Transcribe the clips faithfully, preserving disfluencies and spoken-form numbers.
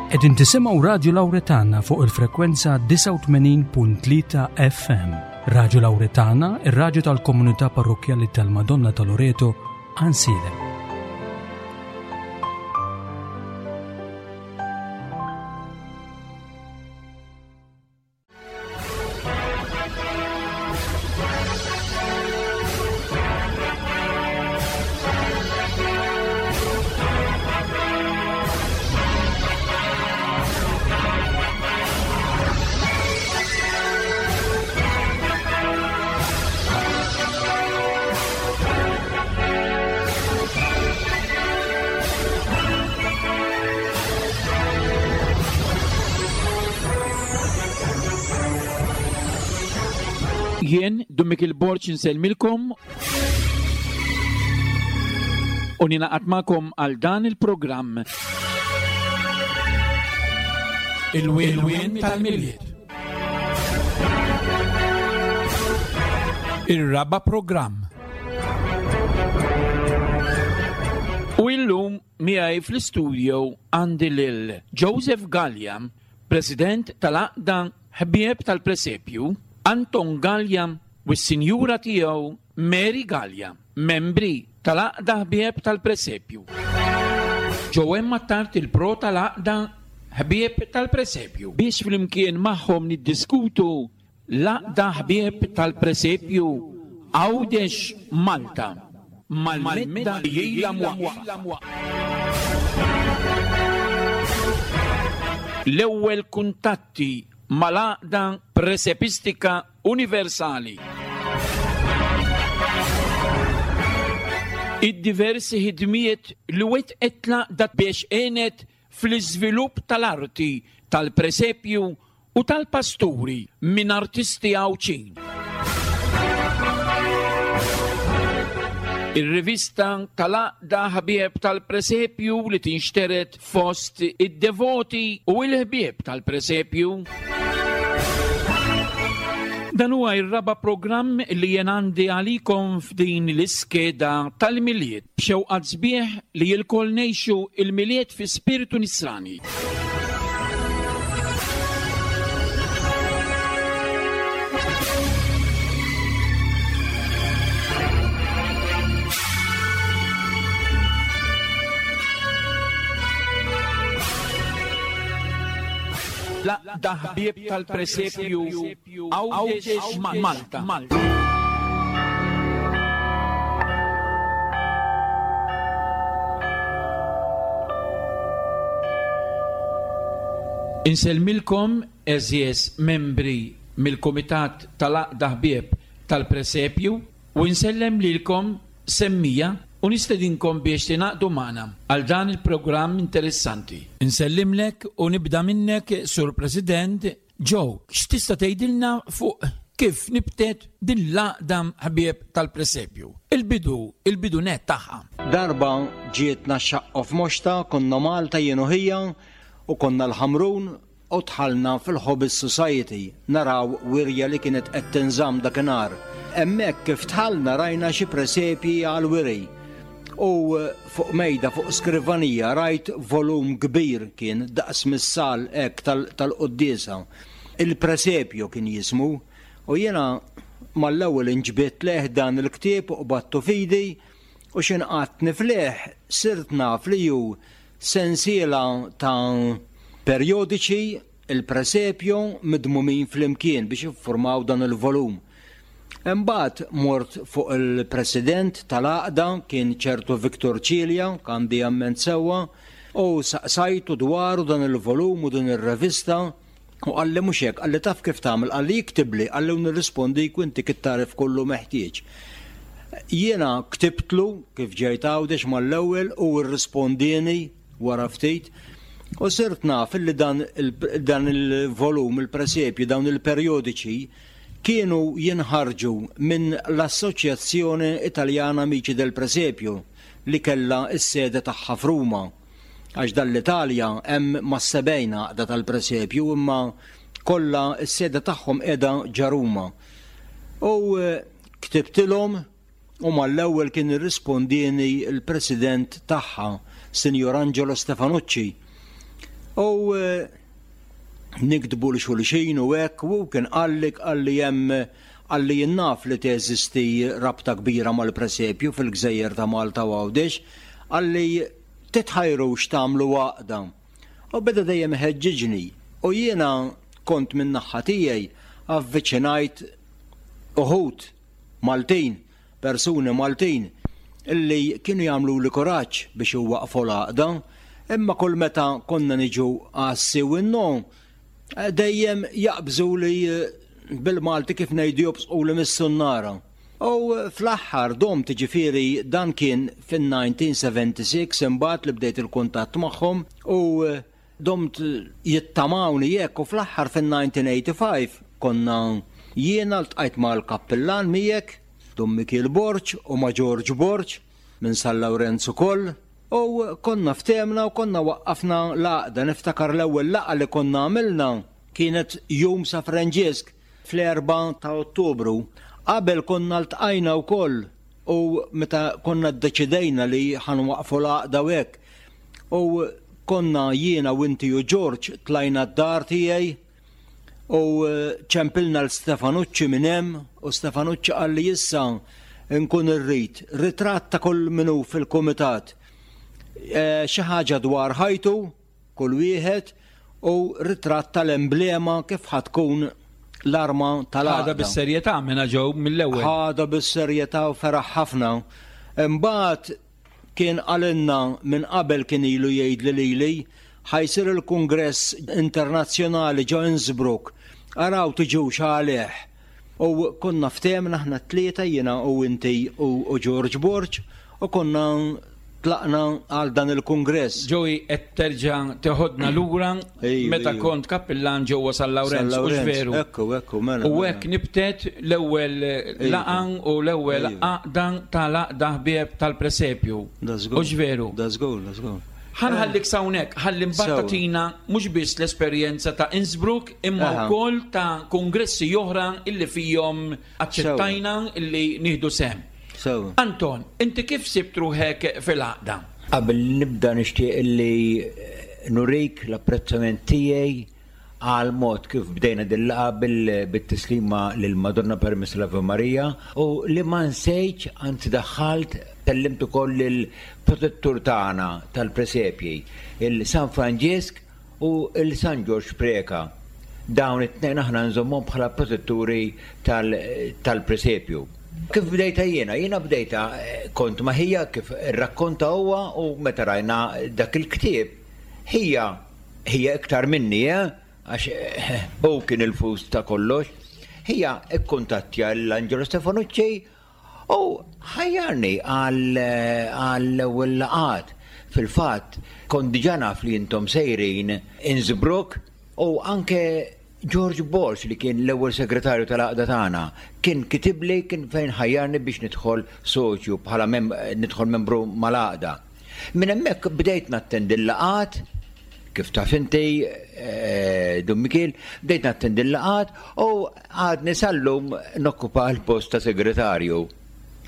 Qegħdin tisimgħu Radju Lawretana fuq il-frekwenza disgħa u tmenin punt tlieta F M. Radju Lawretana, ir-radju tal-komunità parrokkjali tal-Madonna ta' Loreto, Għajnsielem. Jien, Dun Mikiel Borg, insellmilkom u ninaqat magħkom għal dan il-programm. Il-wien tal-Milied. Ir-raba' programm. U illum miegħi fl-istudio għandi lil Joseph Gallia, President tal-Għaqda Ħbieb tal-Presepju, Anton Gallia u s-sinjura tiegħu Mary Gallia, membri tal-Għaqda Ħbieb tal-Presepju. Joanne Attard il-pro tal-Għaqda Ħbieb tal-Presepju. Biex flimkien magħhom niddiskutu l-Għaqda Ħbieb tal-Presepju Għawdex Malta mal-medda li ilha mwaqqfa. L-ewwel kuntatti mal-Għaqda Presepistika Universali. Id-diversi ħidmiet li wettqet l-għaqda biex għenet fl-iżvilupp tal-arti tal-presepju u tal-pasturi minn artisti Għawdxin. Ir-rivista tal-Għaqda Ħbieb tal-Presepju li tinxtered fost id-devoti u l-ħbieb tal-presepju. Dan huwa r-raba' programm li jien għandi għalikom f'din l-iskeda tal-Milied, b'xewqat sbieħ li lkoll ngħixu il-Milied fi spiritu nisrani. L-Għaqda Ħbieb tal-Presepju Għawdex Malta. Insellmilkom għeżież membri mill-Kumitat tal-Għaqda Ħbieb tal-Presepju u insellem lilkom semmija u nistedinkom biex tingħaqdu magħna għal dan il-programm interessanti. Insellimlek u nibda minnek, Sur President Joe, x'tista' tgħidilna fuq kif nibtet din l-Għaqda Ħbieb tal-Presepju? Il-bidu, il-bidu net tagħha. Darba ġietna x-xaqqa f'Moxta, konna Malta jien u ħija u konna l-Ħamrun u dħalna fil-Hobby Society naraw wirja li kienet qed tinżamm dakinhar. Hemmhekk kif dħalna rajna xi presepji għal-wiri. U fuq mejda, fuq skrivanija, rajt volum kbir kien daqs missal hekk tal-, tal-quddiesa. Il-presepju kien jismu, u jiena mal-ewwel inġbidt leh dan il-ktieb u qbadtu fidi, u x'inqatt nifleh sirt naf li hu sensiela ta' periodiċi il-presepju midmumin flimkien biex jiffurmaw dan il-volum. Imbagħad mort fuq il-president tal-għaqda, kien ċertu Victor Cilia, għandi amment sewwa, u saqsajtu dwaru dan il-volum u din ir-revista, u qalli mhux hekk, qalli taf kif tagħmel, qalli jiktibli, qalli u nirrispondi u inti kittarif kollu meħtieġ. Jiena ktibtlu kif ġejt Għawdex mal-ewwel u rrispondieni wara ftit, u sirt naf li dan il-, dan il-volum, il-presepju, dawn il-periodiċi kienu jinħarġu minn l-Assoċjazzjoni Italjana Amici del Presepio li kellha s-sede tagħha f'Ruma. Għax dan l-Italja hemm mas-sebgħin għaqda tal-presepju, imma kollha s-sede tagħhom qiegħda ġa Ruma. U, eh, ktibtilhom u mal-ewwel kien irrispondieni l-president tagħha, Sinjor Angelo Stefanucci. U eh, niktbu lil xulxin u hekk u kien qalli qalli hemm qalli jien naf li teżisti rabta kbira mal-presepju fil-gżejjer ta' Malta u Għawdex, qalli titħajrux tagħmlu għaqda. U beda dejjem ħeġġiġni u jiena kont minn naħa tiegħi avviċinajt uħud Maltin, persuni Maltin, illi kienu jagħmluli kuraġġ biex iwaqqfu l-għaqda, imma kull meta konna niġu għas-sì u n-no, dejjem jaqbżu li bil-Malti kif ngħidu jobsqu li mis-sunnara. U fl-aħħar domt, ġifieri dan kien fin-elf disa' mija u sebgħa u sebgħin imbagħad li bdejt il-kuntatt magħhom u domt jittamawni jekk u fl-aħħar fin-elf disa' mija u ħamsa u tmenin konna jiena ltqajt mal-kappillan miegħek, Dun Mikiel Borg u ma' George Borg minn San Lawrenz ukoll u konna ftehemna u konna waqqafna l-għaqda. Niftakar l-ewwel laqgħa li konna għamilna kienet jum San Franġisk fl-erbgħa ta' Ottubru. Qabel konna ltqajna wkoll u meta konna ddeċidejna li ħa nwaqqfu l-għaqda u hekk. U konna jiena u inti u George tlajna d-dar tiegħi u ċempilna lil Stefanucci minn hemm u Stefanucci qalli issa nkun irrid ritratt ta' kull min hu fil-kumitat. E, xi ħaġa dwar ħajtu kull wieħed u ritratt tal-emblema kif ħa tkun l-arma tal-għaqda. Ħadha bis-serjetà minna ġew mill-ewwel. Ħadha bis-serjetà u feraħ ħafna. Imbagħad kien qalilna minn qabel, kien ilu jgħid li lili ħa jsir il-Kungress Internazzjonali ġo Innsbruck. Araw tiġux għalih. U konna ftehemna aħna tlieta, jiena u inti u, u George Borg, u konna tlaqna għal dan il-kungress. Joey, qed terġa' teħodna lura Ejju, meta ejju. kont kappillan ġewwa San Lawrenz, San u Lawrenz, veru. Ekku, ekku, mela. U mela. hekk nibtet l-ewwel laqgħa u l-ewwel Ejju. għaqda tal-għaqda ħbieb tal-presepju. Da żgur. U veru. Da żgur, da żgur. Ħa nħallik s'hawnhekk, ħalli mbagħad Sewa. tagħtina mhux biss l-esperjenza ta' Innsbruck imma Aha. wkoll ta' kongressi oħra illi fihom aċċettajna illi nieħdu sehem. Sewa. Anton, inti kif sibt ruħek fil-għaqda? Qabel nibda nixtieq illi nurik l-apprezzament tiegħi għal mod kif bdejna dil-laqgħa bil- bit-tislima lil Madonna permess l-Ave Maria u li ma nsejtx, anzi daħħalt kellimt ukoll il-protettur tagħna tal-presepji, il-San Franġisk u il-San Ġorġ Preka. Dawn it-tnejn aħna nżommhom bħala protetturi tal- tal-presepju. Kif bdejta jiena? Jiena bdejta eh, kont ma' ħija kif rakkonta huwa u meta rajna dak il-ktieb. Ħija ħija iktar minni, eh? Għax eh, hu kien il-fus ta' kollox. Ħija ikkuntattja l-Angelo Stefanucci u ħajjarni għall-ewwel laqgħat. Fil-fatt, kont diġà naf li intom sejrin Innsbruck u anke George Borg, li kien l-ewwel segretarju tal-għaqda tagħna, kien kitibli, kien fejn ħajjarni biex nidħol soċju bħala mem nidħol membru mal-għaqda. Minn hemmhekk bdejt nattendi l-laqgħat, kif taf inti, eh, Dun Mikiel, bdejt nattendi l-laqgħat u għadni sal-lum nokkupa l-post ta' segretarju.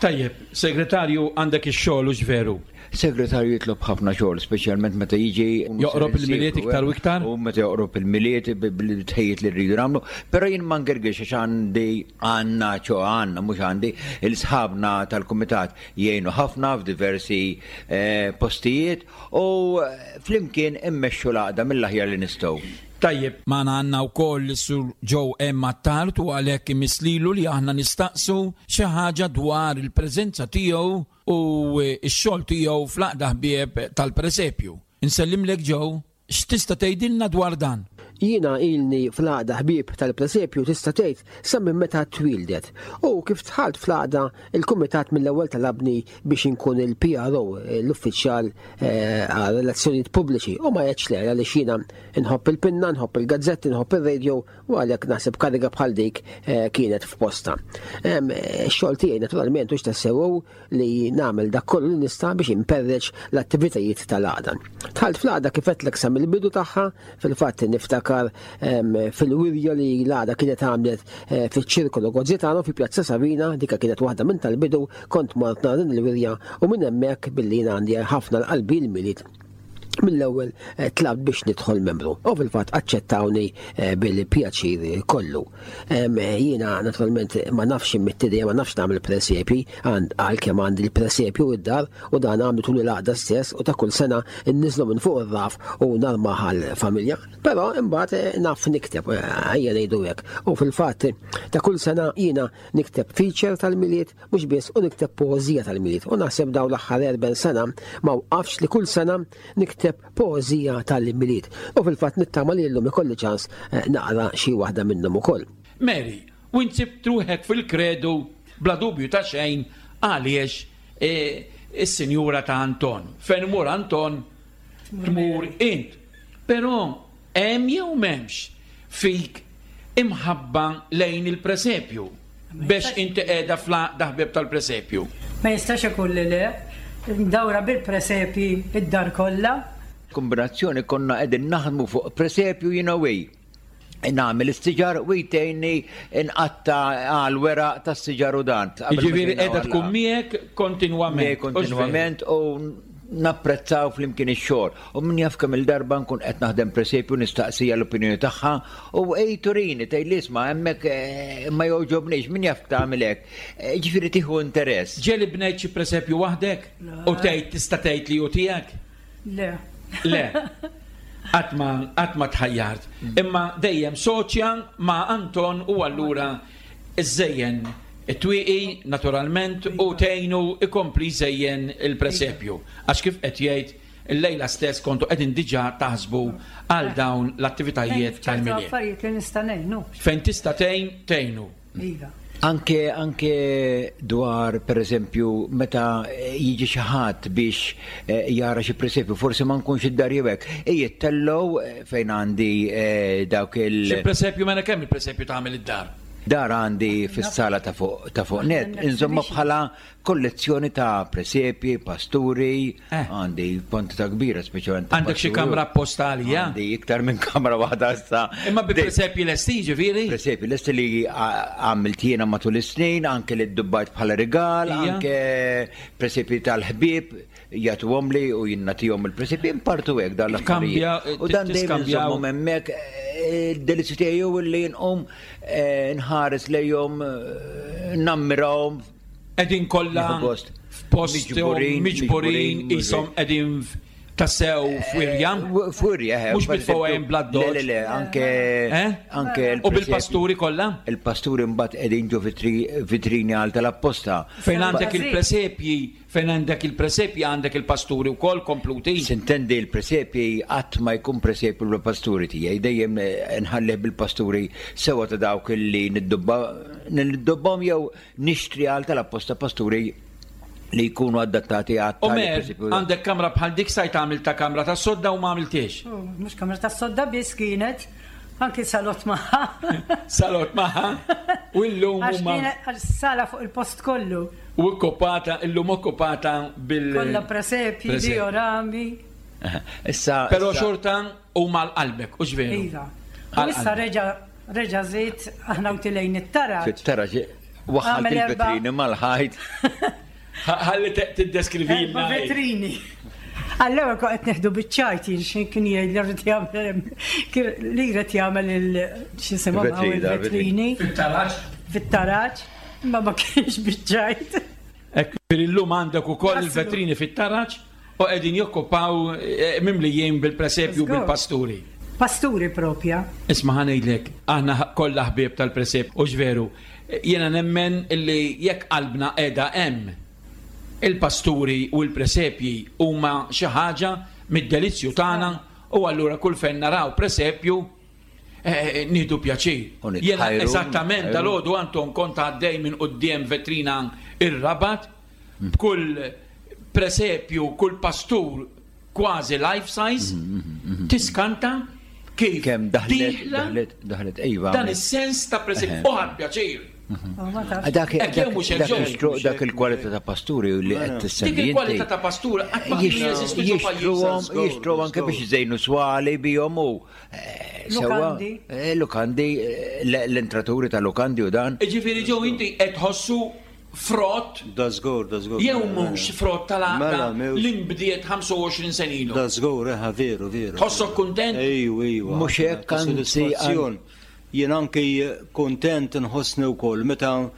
Tajjeb, segretarju għandek ix-xogħol, hux veru? Segretarju jitlob ħafna xogħol, speċjalment meta jiġi Joqrob il-Milied iktar u iktar? U meta joqrob il-Milied bil-tħejjiet li rridu nagħmlu, però jien ma ngergirx għax għandi għandna ċo għandna mhux għandi il-sħabna tal-kumitat jgħinu ħafna f'diversi eh, postijiet u flimkien immexxu l-għaqda mill-aħjar li nistgħu. Tajjeb, magħna għandna wkoll Sur Joe M. Attard u għalhekk imiss lilu li aħna nistaqsu xi ħaġa dwar il-preżenza tiegħu u x-xogħol tiegħu fl-għaqda ħbieb tal-presepju. Insellimlek Joe, x'tista' tgħidilna dwar dan? Jiena ilni fl-għaqda ħbieb tal-presepju tista' tgħid sa minn meta twildet. U kif dħalt fl-għaqda, il-kumitat mill-ewwel talabni biex inkun il-P R O, l-uffiċjal eh, għal relazzjonijiet pubbliċi. U ma għedtx le għaliex jiena nħobb il-pinna, nħobb il-gazzetti, nħobb il-radio u għalhekk naħseb kariga bħal dik eh, kienet f'posta. Em, Ix-xogħol tiegħi naturalment hux tassew li nagħmel dak kollu li nista' biex imperreċ l-attivitajiet tal-għaqda. Dħalt fl-għaqda kif għedtlek sa mill-bidu tagħha, fil-fatt niftakar em, fil-wirja li l-għaqda kienet għamlet eh, fiċ-ċirkolo Gozzitano fi Pjazza Savina, dika kienet waħda minn tal-bidu, kont mort nara din il-wirja u minn hemmhekk billi jien għandi ħafna l-qalbi l-Milied. Mill-ewwel eh, tlabt biex nidħol membru u fil-fatt aċċettawni eh, bil-pjaċir kollu. Jiena naturalment ma nafx immittidija, ma nafx nagħmel presepji, għalkemm għandi l-presepju id-dar u dan għamlu tul il-għaqda stess u ta' kull sena nniżlu minn fuq ir-raf u narmah għall-familja. Però imbagħad eh, naf nikteb, ejja ngħidu hekk. U fil-fatt ta' kull sena jiena nikteb feature tal-Milied mhux biss u nikteb poeżija tal-Milied. U naħseb dawn l-aħħar erbgħin sena ma waqafx li kull sena nikteb poeżija tal-Milied. U fil-fatt nittama li llum ikolli ċans eh, naqra xi waħda minnhom ukoll. Mary, u nsib ruħek fil-kredu bla dubju ta' xejn għaliex eh, is-sinjura ta' Anton. Fejn imur Anton tmur int. Però hemm jew m'hemmx fik imħabba lejn il-presepju biex inti qiegħda fl-għaqda ħbieb tal-presepju. Ma jistax ikun li le, dawra bil-presepi id-dar kollha. Kombinazzjoni konna qegħdin naħdmu fuq presepju jiena u hi. Nagħmel is-siġar u jtejni nqatta' għal weraq tas-siġar u dan. Jiġifieri qiegħda tkun miegħek kontinwament. Kontinwament u napprezzaw flimkien ix-xogħol. U min jaf kemm il-darba nkun qed naħdem presepju nistaqsija l-opinjoni tagħha u ej turini tgħid li isma' hemmhekk eh, ma jogħġobniex min jaf tagħmel hekk. Eh, ġifieri tieħu interess. Ġieli bnejt xi presepju waħdek u tgħid tista' tgħid li hu tiegħek? Le. Le. Qatt ma qatt ma tħajjart. Imma dejjem soċja ma' Anton u allura iżejjen it-twieqi naturalment u tgħinu ikompli jżejjen il-presepju. Għax kif qed jgħid il-lejla stess kontu qegħdin diġà taħsbu għal dawn l-attivitajiet tal-Milied. Affarijiet li nista' ngħinu. Fejn tista' tgħin, tgħinu. Iva. Anke anke dwar per eżempju meta jiġi xi ħadd biex eh, jara xi presepju, forsi ma nkunx id-dar jew hekk, jittellgħu eh, fejn għandi eh, dawk il- Xi presepju mela kemm il-presepju tagħmel id-dar? Dar għandi fis-sala ta' fuq ta' fuq net, insomma bħala kollezzjoni ta' presepji, pasturi, Eh. għandi kwantità kbira speċjalment. ta' Għandek xi pasturi. kamra apposta għalija? Għandi iktar minn kamra waħda issa. Imma bi presepji lesti ġifieri? Presepji lesti li għamilt jiena matul is-snin, anke li ddubbajt bħala rigal, Ija. anke presepji tal-ħbieb jagħtuhom li u jien nagħtihom il-presepji impartu hekk dan Tkambja, l-affarijiet. U dan dejjem tiskambjaw. nżommhom hemmhekk eh, il-delizzju tiegħi hu li nqum eh, nħares lejhom eh, nammirahom. Qegħdin kollha Nieħu gost. f'posthom Miġburin, miġburin miġburin, qishom qegħdin tassew f'wirja. F'wirja, eh, Mhux per bitfgħu eżempju, hemm bla Le, doġ. le, le, anke Eh? anke U il-presepju. bil-pasturi kollha? Il-pasturi mbagħad qegħdin ġo vitri- vitrini għal tal-apposta. Fejn għandek Bażi. il-presepji, fejn għandek il-presepji għandek il-pasturi wkoll kompluti. Sintendi il-presepji qatt ma jkun presepju bil-pasturi tiegħi, dejjem eh, nħallih bil-pasturi sewa ta' dawk li niddubba niddubbhom jew nixtri għal tal-apposta pasturi li jkunu adattati għal U tali mer, presepju. għandek kamra bħal dik stajt għamil ta' kamra ta' sodda u ma għamiltiex. Oh, Mhux kamra ta' sodda biss kienet, anki salott magħha. Salott magħha, u llum Għax huma kienet għax sala fuq il-post kollu. u okkupata, illum okkupata bil. Kollha presepji, Presepji. diorami. Issa Però issa- xorta huma l-qalbek, u veru. Iva. U issa reġa reġa żied aħna u tilejn it-taraġ. fit-taraġ waħħalt Għamel erba' il-vetrini mal-ħajt. Ħalli tiddeskrivilna. Erba' vetrini. Allura kont qed neħdu biċ-ċajt jien xi kien jgħid li rrid jagħmel li jrid jagħmel il x'isimhom hawn Il-vetrini, il-vetrini Fit-taraġ. fit-taraġ, imma ma kienx biċ-ċajt. Hekk per illum għandek ukoll il-vetrini fit-taraġ u qegħdin jokkupaw eh, mimlijin bil-presepju Żgur. bil-pasturi. Pasturi propja. Isma' ħa ngħidlek, aħna kollha ħbieb tal-presep, u veru, jiena nemmen illi jekk qalbna qiegħda hemm il-pasturi u l-presepji huma xi ħaġa mid-delizzju tagħna u allura kull fejn naraw presepju eh, nieħdu pjaċir. U nitħajru, Jiena eżattament nitħajru. dalgħodu Anton kont għaddej minn quddiem vetrina ir-Rabat b'kull presepju, kull pastur kważi life size, tiskanta kif Kemm daħlet, dieħla daħlet, daħlet, iva. dan is-sens ta' presepju. U ħadd pjaċir. Oh, ma tafx. Dak Hekk jew mhux hekk dak ġew. jixtru dak il-kwalità ta' pasturi li qed tissemmi Dik il-kwalità inti. ta' pastura qatt ma kienu jeżistu ġo Jixtruhom, pajjiżna. jixtruhom anke biex iżejnu swali bihom u eh, sewwa, Lukandi. eh, lukandi, eh, l- l-entraturi ta' lukandi u dan. Ġifieri ġew inti qed tħossu frott Da żgur, da żgur. jew mhux frott tal-għaqda Mela, mhux. li nbdiet ħamsa u għoxrin sena ilu? Da żgur, eħa, veru, veru. Tħossok kuntent? Ejju, ejju. Mhux hekk, Ta' anzi, sodisfazzjon. Jien anki kontent nħossni wkoll meta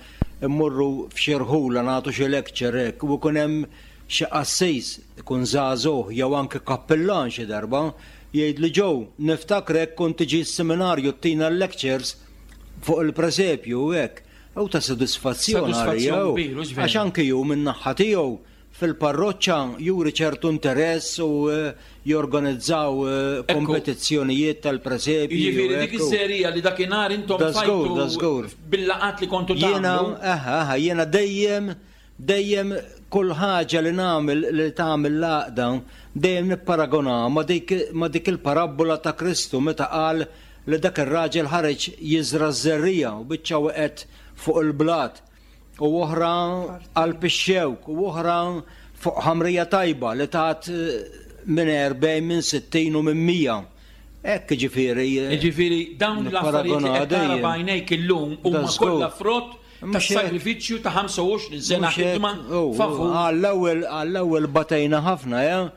mmorru f'xi rħula nagħtu xi lecture hekk u jkun hemm xi qassis ikun żagħżugħ jew anke kappillan xi darba jgħid li, "Joe, niftakrek kont tiġi s-seminarju ttina l-lectures fuq il-presepju", u hekk. U ta' sodisfazzjon Sodisfazzjon għalija, u. kbir, hux veru? Għax anki ju minn naħa tiegħu fil-parroċċa juri ċertu interess u eh, jorganizzaw eh, Ekku. kompetizzjonijiet tal-presepji. u Jiġifieri dik hekk u- is-serija li dakinhar intom Da żgur, fajtu da żgur. bil-laqat li kontu Jiena, tagħmlu. aha, aha, jiena dejjem, dejjem kull ħaġa li nagħmel li tagħmel l-għaqda dejjem nipparagona ma dik ma dik il-parabbola ta' Kristu meta qal li dak ir-raġel ħareġ jiżra ż-żerrija u biċċa waqgħet fuq il-blat u oħra qalb ix-xewk u oħra fuq ħamrija tajba li tat eh, minn erbgħin, minn sittin u minn mija. Hekk ġifieri. eh, Jiġifieri dawn l-affarijiet li qed tara nipparagona dejjem. b'għajnejk illum huma Da żgur. kollha frott ta' Mhux hekk. sagrifiċċju ta' ħamsa u għoxrin sena Mhux hekk, ħidma oh, oh, favur. Għall-ewwel għall-ewwel batejna ħafna, ja,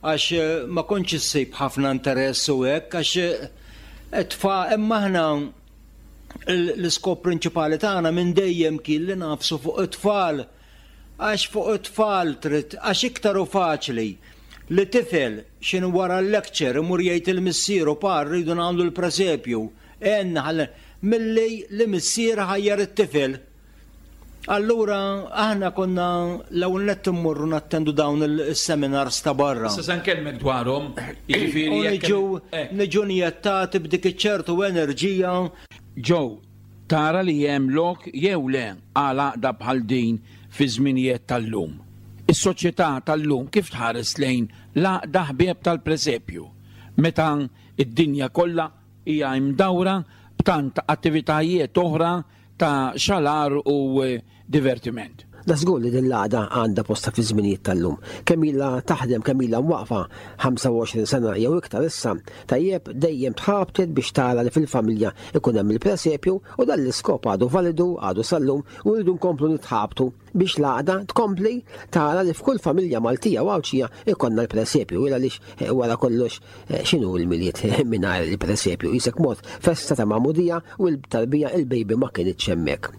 għax eh, ma kontx issib ħafna interess u hekk, għax eh, tfa imma aħna l- l-iskop prinċipali tagħna minn dejjem kien li nagħfsu fuq it-tfal. Għax fuq it-tfal trid, għax iktar u faċli li tifel xin wara l-lecture imur jgħid il-missieru, "Pa, rridu nagħmlu l-presepju." Enna ħalli milli li missier ħajjar it-tifel. Allura aħna konna l-ewwel nett immorru nattendu dawn il-seminars ta' barra. Issa se nkellmek dwarhom, jiġifieri U jekk niġu eh, niġu njettati b'dik iċ-ċertu enerġija. Joe, tara li hemm lok jew le għal għaqda bħal din fi żminijiet tal-lum? Is-soċjetà tal-lum kif tħares lejn l-għaqda ħbieb tal-presepju meta id-dinja kollha hija imdawra b'tant attivitajiet oħra ta' xalar u eh, divertiment? Da żgur li din l-għaqda għandha posta fi żminijiet tal-lum. Kemm ilha taħdem, kemm ilha mwaqfa, ħamsa u għoxrin sena jew iktar issa, tajjeb, dejjem tħabtet biex tara li fil-familja ikun hemm il-presepju u dan l-iskop għadu validu, għadu sal-lum, u rridu nkomplu nitħabtu biex l-għaqda tkompli tara li f'kull familja Maltija u Għawdxija ikonna l-presepju, illa għaliex eh, wara kollox eh, x'inhu l-Milied mingħajr il-presepju? Qisek mod festa ta' magħmudija u l-tarbija, il-baby, ma kienitx hemmhekk.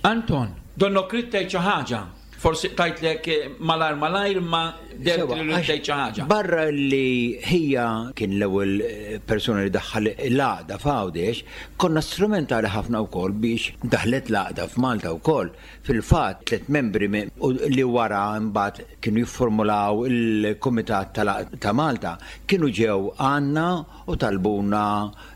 Anton, donnok ridt tgħid xi ħaġa. Forsi tajtlek eh, malar malajr ma dert Sewa, li għax tgħid xi ħaġa. Barra li ħija kien l-ewwel eh, persuna li daħħal l-għaqda f'Għawdex, konna strumentali ħafna wkoll biex daħlet l-għaqda f'Malta wkoll. Fil-fatt tliet membri mi- u li wara mbagħad kienu jiffurmulaw il-Kumitat tal- ta' Malta kienu ġew għandna u talbuna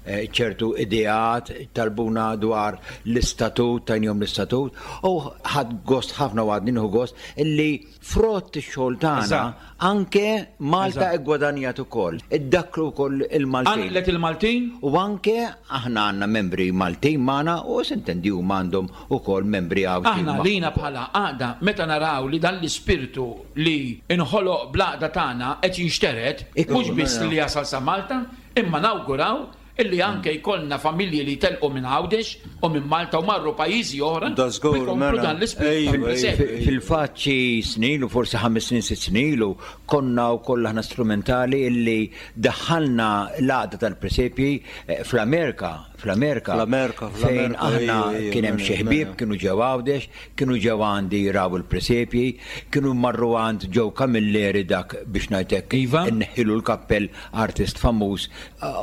eh, ċertu ideat, talbuna dwar l-istatut, tajnihom l-istatut, u ħadt gost ħafna u għadni nieħu gost illi frott ix-xogħol tagħna Eżatt. anke Malta Eżatt. iggwadanjat ukoll. Iddakru wkoll il-Maltin. Għanqlet il-Maltin? U anke aħna għandna membri Maltin magħna u s'intendi huma għandhom ukoll membri Għawdxin Aħna magħhom. lina bħala għaqda, meta naraw li dan l-ispirtu li inħoloq bl-għaqda tagħna qed jinxtered, Ikku, mhux biss li jasal sa Malta, imma nawguraw illi anke jkollna familji li telqu minn Għawdex u minn Malta u marru pajjiżi oħra Da żgur, u jkomplu mela. dan l-ispirtu Ejju, tal-presepju. ejju. Fil-fatt xi snin u forsi ħames snin, sitt snin ilu konna wkoll aħna strumentali illi daħħalna l-għaqda tal-presepji eh, fl-Amerika, fl-Amerika. Fl-Amerika, Fejn fl-Amerika, aħna ejju, ejju, kien hemm mela, xi ħbieb mela. kienu ġew Għawdex, kienu ġew għandi raw il-presepji, kienu marru għand Joe Camilleri, dak biex ngħidlek Iva. inneħħilu l-kappell, artist famuż,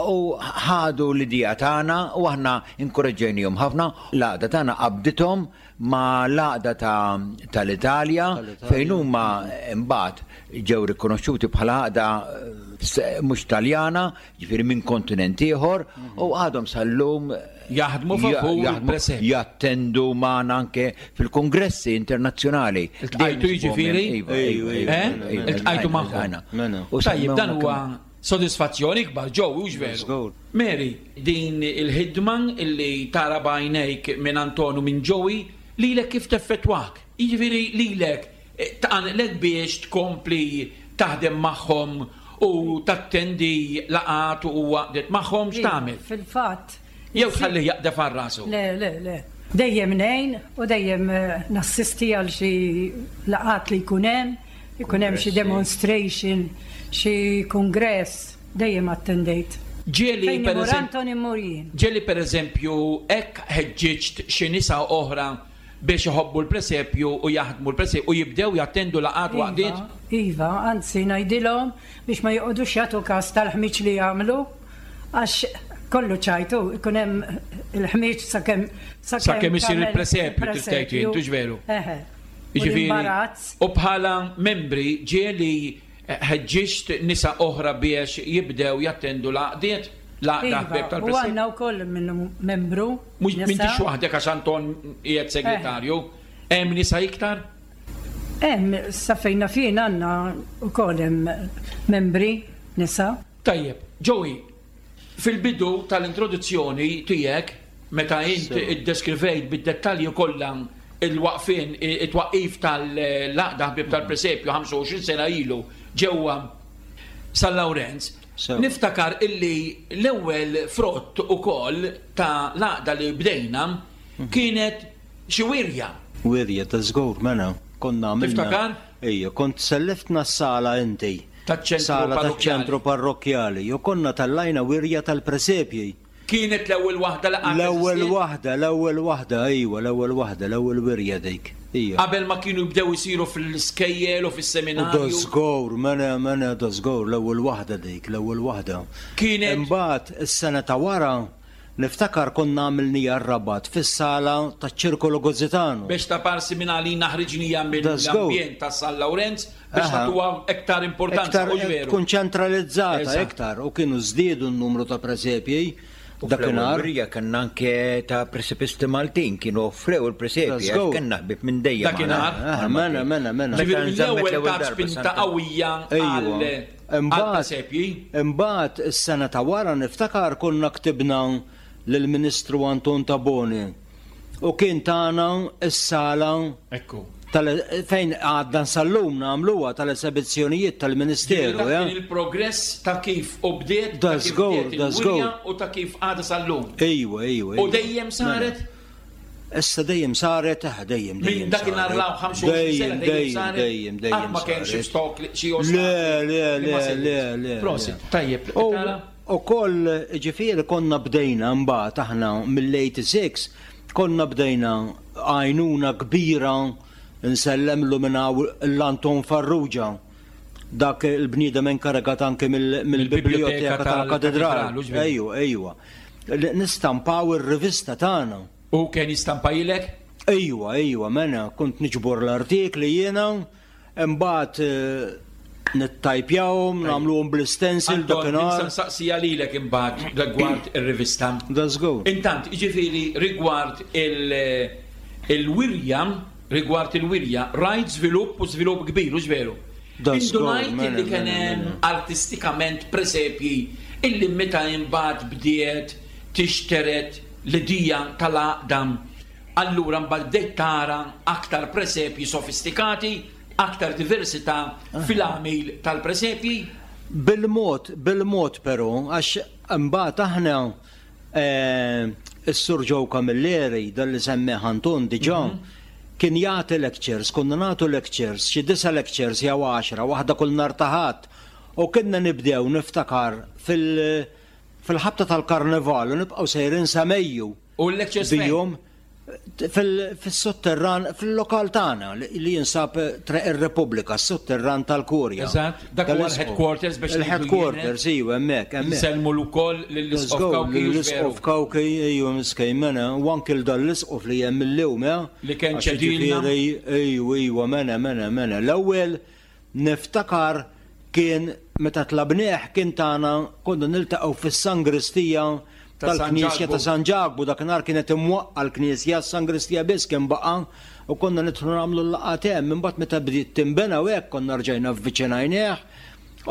u ħadu l-idea tagħna u aħna inkoraġġejnihom ħafna. L-għaqda tagħna qabdithom ma l-għaqda ta' tal-Italja fejn huma mbagħad ġew rikonoxxuti bħala għaqda eh, mhux Taljana, ġifieri minn kontinent ieħor, u għadhom sal-lum Jaħdmu favur ja- jaħdmu- il-presepju. jattendu magħna anke fil-kongressi internazzjonali. Iltqajtu jiġifieri? Iva, iva, iva, Eh? iva, Iltqajtu magħhom. iltqajna. Mela. U Tajjeb, dan semmew huwa sodisfazzjoni kbar, Joe, hux veru? Żgur. Mary, din il-ħidma illi tara b'għajnejk minn Antonu, minn Joey, lilek kif teffettwak? Jiġifieri lilek eh, tqanqlek biex tkompli taħdem magħhom u tattendi laqat u waqdet magħhom, x'tagħmel? Fil-fatt. Jew tħalli jaqdef għal rasu. Le, le, le. Dejjem ngħin u dejjem nassisti għal xi laqgħat li jkun hemm, ikun hemm xi demonstration, xi kongress, dejjem attendejt. Ġieli per eżempju, ġieli per eżempju hekk ħeġġiġt xi nisa oħra biex iħobbu l-presepju u jaħdmu l-presepju u jibdew jattendu laqgħat waqdiet? Iva, anzi ngħidilhom biex ma joqogħdux jagħtu każ tal-ħmiġ li jagħmlu għax kollu ċajtu, ikun hemm il-ħmiġ sakemm sakemm isir il-presepju tistgħid jien, veru? Jiġifieri, u bħala membri ġieli ħeġġiġt nisa oħra biex jibdew jattendu laqdiet, laqda ħbieb tal-presepju. U għandna wkoll minnu membru. Mhux m'intix waħdek għax Anton qiegħed segretarju, hemm nisa iktar? Hemm, sa fejn fien għandna wkoll hemm membri nisa. Tajjeb, Joey, fil-bidu tal-introduzzjoni tiegħek meta int iddeskrivejt bid-dettalji kollha il-waqfien, it-twaqqif tal-laqda ħbieb tal-presepju ħamsa u għoxrin sena ilu ġewwa San Lawrenz, niftakar illi l-ewwel frott ukoll ta' laqda li bdejna kienet xi wirja. Wirja ta' żgur, mela, konna għamilna. Tiftakar? Ejja, kont selliftna s-sala inti. Taċ-ċentru taċ-ċentru parrokkjali. Jo konna tallajna wirja tal-presepji. Kienet l-ewwel waħda li qatt L-ewwel waħda, l-ewwel waħda, ejwa, l-ewwel waħda, l-ewwel wirja dik. Ija. Qabel ma kienu jibdew isiru fil-iskejjel u fis-seminarju. Da żgur, mela, mela da żgur, l-ewwel waħda dik, l-ewwel waħda. Kienet. Imbagħad is-sena ta' wara niftakar konna għamilnija r-Rabat fis-sala taċ-Ċirkolo Gozzitano. Biex ta' parsi minn għalina ħriġnija mill-ambjent ta' San Lawrenz biex tagħtuha iktar importanza. Iktar tkun ċentralizzata iktar u kienu żdiedu n-numru ta' presepji. Dakinhar kellna anke ta' presepisti Maltin kienu offrew il-presepji għax kellna ħbieb minn dejjem. Dakinhar. Mela, mela, mela. Ġifieri mill-ewwel ta' spinta qawwija għal presepji. Imbagħad is-sena ta' wara niftakar konna ktibna lill-Ministru Anton Tabone u kien tagħna s-sala ekku fejn għadna sal-lum nagħmluha tal-esebizzjonijiet tal-Ministeru. Kien il-progress ta' kif u bdiet ta' kif bdiet il-wirja u ta' kif għadha sal-lum. Ejwa, ejwa. U dejjem saret? Issa dejjem saret, dejjem, dejjem. Minn dakinhar l ħamsa u għoxrin sena dejjem saret. Dejjem, dejjem. Ma kienx xi stok xi ostakli. Le, le, le, le, le. Prosit, tajjeb. U koll ġifieri konna bdejna mbagħad aħna mill-eighty-six konna bdejna għajnuna kbira nsellemlu minn l-Anton Farrugia, dak il-bniedem inkarigat anke mill-biblioteka tal-katedral. Ejwa, ejwa. Nistampaw ir-rivista tagħna. U kien jistampajlek? Ejwa, ejwa, mena kont niġbor l-artikli jiena, imbagħad nittajpjawhom, nagħmluhom bl-istensil dakinhar. Anton, nsaqsija lilek imbagħad rigward ir-rivista. Da żgur. Intant, jiġifieri rigward il-wirja, rigward il-wirja, rajt żvilupp u żvilupp kbir, u veru. Indunajt illi kien hemm artistikament presepji illi meta imbagħad bdiet tixteret l-idea tal-għaqda. Allura mbagħad bdejt tara aktar presepji sofistikati, aktar diversità fil-għamil tal-presepji. Bil-mod, bil-mod però, għax imbagħad aħna is-Sur Joe Camilleri, dan li semmeħ Anton diġà, kien jagħti lectures, konna nagħtu lectures, xi disa lectures jew għaxra, waħda kull nhar ta' Ħadd, u kienna nibdew niftakar fil-ħabta tal-karnival u nibqgħu sejrin sa Mejju. U l-lectures bijhom fil-sotterran, fil-lokal tagħna li jinsab Triq ir-Repubblika, s-sotterran tal-Kurja. Eżatt, dak huwa l-headquarters biex il-headquarters, iva, hemmhekk, hemmhekk. Nsellmu wkoll lill-Isqof Kawki. L-Isqof Kawki, ejwa, miskejn mena, u anke l dan l-Isqof li hemm illum, li kien ċedilna. Ejwa, ejwa, mena, mena, mena. L-ewwel niftakar kien meta tlabnieh kien tagħna konna niltaqgħu fis-sangristija tal-Knisja ta' San Ġakbu, dakinhar kienet imwaqqa l-Knisja, s-sangristija biss kien baqa' u konna nidħlu nagħmlu l-laqgħat hemm. Imbagħad meta bdiet tinbena u hekk konna rġajna vviċinajnieh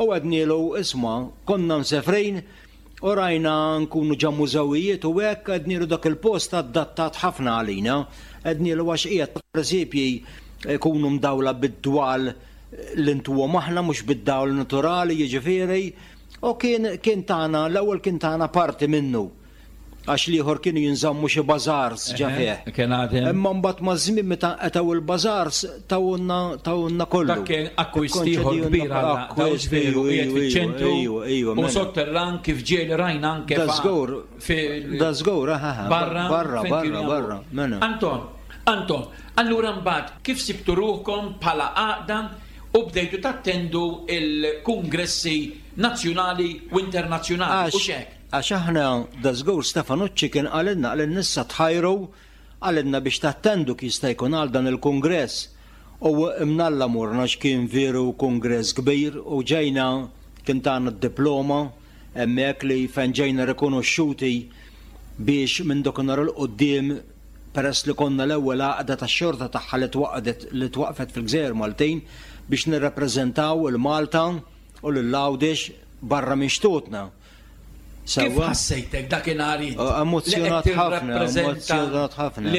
u għednielu isma' konna msefrin u rajna nkunu ġa mużewijiet u hekk, għednielu dak il-post adattat ħafna għalina, għednielu għax qiegħed presepji jkunu mdawla bid-dwal li ntuhom aħna mhux bid-dawl naturali, jiġifieri. U kien kien tagħna, l-ewwel kien tagħna parti minnu. Għax l-ieħor kienu jinżammu xi bażars ġa fih. Kien għadhem. Imma mbagħad maż-żmien meta qetaw il-bażars tawna tawna kollu. Dak kien akkwist ieħor kbir għal veru qiegħed fiċ-ċentru u mela. sotterran kif ġieli rajna anke Da żgur. Da żgur, barra barra barra barra. Mela. Anton, Anton, allura mbagħad kif sibtu ruħkom bħala għaqda u bdejtu tattendu il-kungressi nazzjonali u internazzjonali u xek? Għax aħna da żgur Stefanucci kien qalilna għal nissa tħajru qalilna biex tattendu kif jista' jkun għal dan il-kungress. U imnalla morna x'kien veru kungress kbir u ġejna kien tagħna d-diploma hemmhekk li fejn ġejna rikonoxxuti biex minn dakinhar 'il quddiem peress li konna l-ewwel għaqda tax-xorta tagħha li twaqdet li twaqfet fil-Gżejjer Maltin biex nirrappreżentaw il-Malta u lil Għawdex barra minn xtutna. Kif ħassejtek dakinhar int? Emozjonat ħafna, emozjonat ħafna.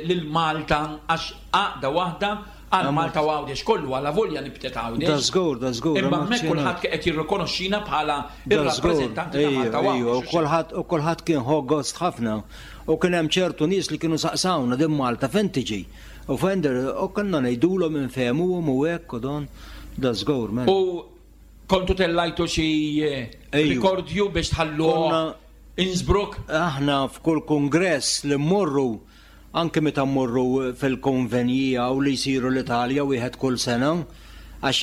Lil Malta għax għaqda waħda għal Malta u Għawdex kollu għala volja nibtet Għawdex. Da żgur, da żgur. Imma hemmhekk kulħadd qed jirrikonoxxina bħala ir-rappreżentanti ta' Malta u Għawdex. Kulħadd u kulħadd kien ħa gost ħafna. U kien hemm ċertu nies li kienu saqsawna din Malta fejn tiġi. U fejn u konna ngħidulhom infehmuhom u hekk u don da żgur. U kontu tellajtu xi rikordju biex tħallu Innsbruck? Aħna f'kull kongress li mmorru, anke meta mmorru fil-konvenija u li jsiru l-Italja wieħed kull sena, għax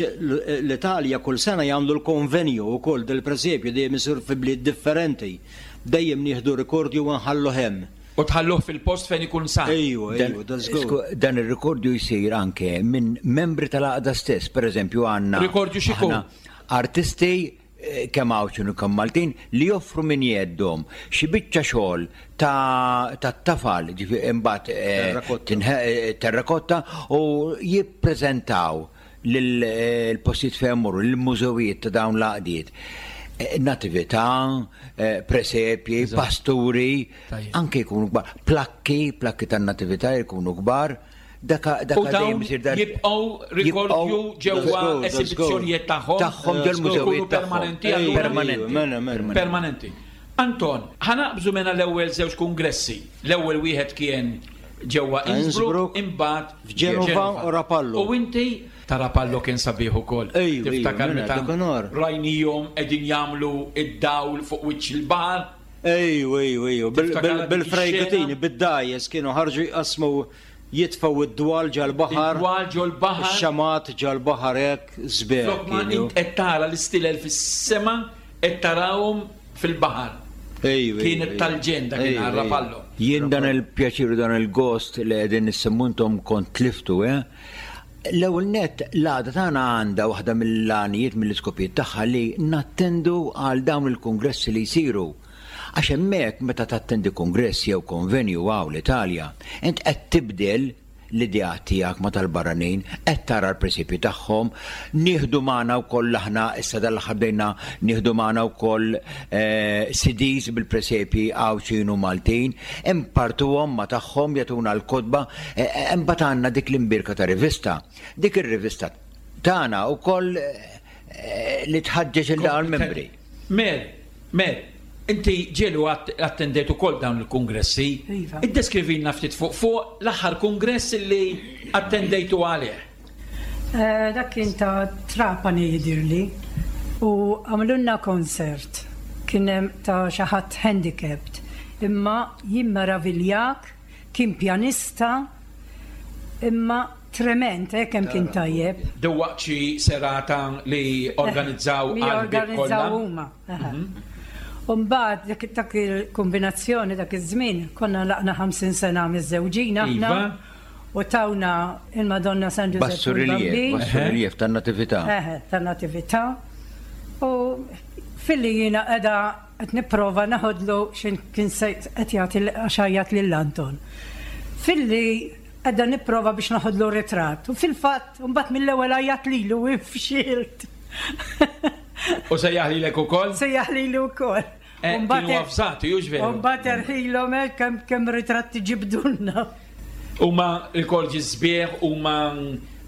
l-Italja kull sena jagħmlu l-konvenju wkoll del-presepju dejjem isir fi bliet differenti. Dejjem nieħdu rikordju u nħallu hemm. U tħalluh fil-post fejn ikun sar. Ejju, ejju, da żgur. Dan ir-rikordju jsir anke minn membri tal-għaqda stess, pereżempju għandna. Rikordju x'ikun? Artisti kemm Għawdxin u kemm Maltin li joffru minn jeddhom xi biċċa xogħol ta' tafal, ġifieri imbagħad terrakotta u jippreżentaw lill-postijiet fejn imorru, lill-mużewijiet ta' dawn l-għaqdiet. Natività, presepji, pasturi, anke jkunu kbar, plakki, plakki tan-natività jkunu kbar. U dawn jibqgħu rikordju ġewwa esibizzjonijiet tagħhom tagħhom ġol-mużewijiet permanenti permanenti. Permanenti. Anton, ħanaqbżu mena l-ewwel żewġ kungressi. L-ewwel wieħed kien ġewwa Innsbruck, imbagħad f'Ġenova u Rapallo. U inti ta' Rapallo kien sabiħ ukoll. Tiftakar meta rajnihom qegħdin jagħmlu id-dawl fuq wiċċ il-baħar. Ejju, ejju, ejju, bil-frejgatini, bid-dajes kienu ħarġu jqasmu jitfaw id-dwal ġal-baħar. Id-dwal ġol-baħar. Ix-xamat ġal-baħar hekk sbieħ. Flok ma int qed tara l-istilel fis-sema qed tarahom fil-baħar. Kienet tal-ġen dak kien Rapallo. Jien dan il-pjaċir u dan il-gost li qegħdin nissemmu intom kont tliftu, eh? L-ewwel nett l-għaqda tagħna għandha waħda mill-għanijiet mill-iskopijiet tagħha li nattendu għal dawn il-kungressi li jsiru. Għax hemmhekk meta tattendi kongress jew konvenju għaw l-Italja, int qed tibdel l-idea tiegħek ma tal-barranin, qed tara l-presepji tagħhom, nieħdu magħna wkoll aħna issa dal-aħħar bdejna nieħdu magħna wkoll C Ds bil-presepji Għawdxin u Maltin, impartuhom ma tagħhom jagħtuna l-kotba, imbagħad għandna dik l-imbirka ta' rivista. Dik ir-rivista tagħna wkoll li tħaġġeġ il dawn membri. Mer, mer, inti ġelu attendejt ukoll dawn il-kungressi. Iddeskrivilna ftit fuq fuq l-aħħar kungress li attendejtu għalih. Dak kien ta' Trapani jidirli u għamlulna konsert. Kien hemm ta' xi ħadd handicapped. Imma jimmeraviljak, kien pjanista, imma trement, eh, kemm kien tajjeb. Dewwaqt xi serata li organizzaw għal organizzaw huma. U mbagħad dak il-kombinazzjoni dak iż-żmien konna laqna ħamsin sena miż-żewġin aħna u tawna il-Madonna San Giuseppe. Bassu riliev tan-natività. Eħe, tan-natività. U filli jiena qiegħda qed nipprova naħodlu x'in kien qed jagħti għax lil Anton. Filli qiegħda nipprova biex naħodlu ritratt u fil-fatt mbagħad mill-ewwel għajjat lilu u fxilt. U sejjaħ lilek ukoll? Sejjaħ lili wkoll. Kienu avżati, hux veru? U mbagħad erħilhom hekk kemm kemm ritratti ġibdulna. Huma rikordi sbieħ, huma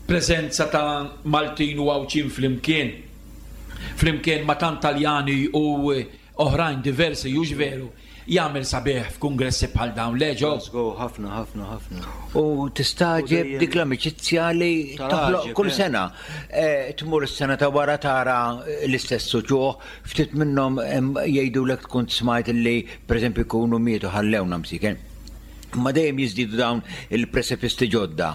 preżenza ta' Maltin u Għawdxin flimkien. Flimkien ma' tant Taljani u oħrajn diversi, hux veru. Jagħmel sabiħ f'kungressi bħal dawn, le Joe? Go, ħafna, ħafna, ħafna. U tistagħġeb U dejjem- dik l-amiċizzja li Tal-għaġeb, toħloq kull eh. sena. Eh, Tmur is-sena ta' wara tara l-istess uċuħ, ftit minnhom em, jgħidulek tkun smajt li pereżempju jkunu mietu, ħallewna msiken. Ma dejjem jiżdiedu dawn il-presepisti ġodda.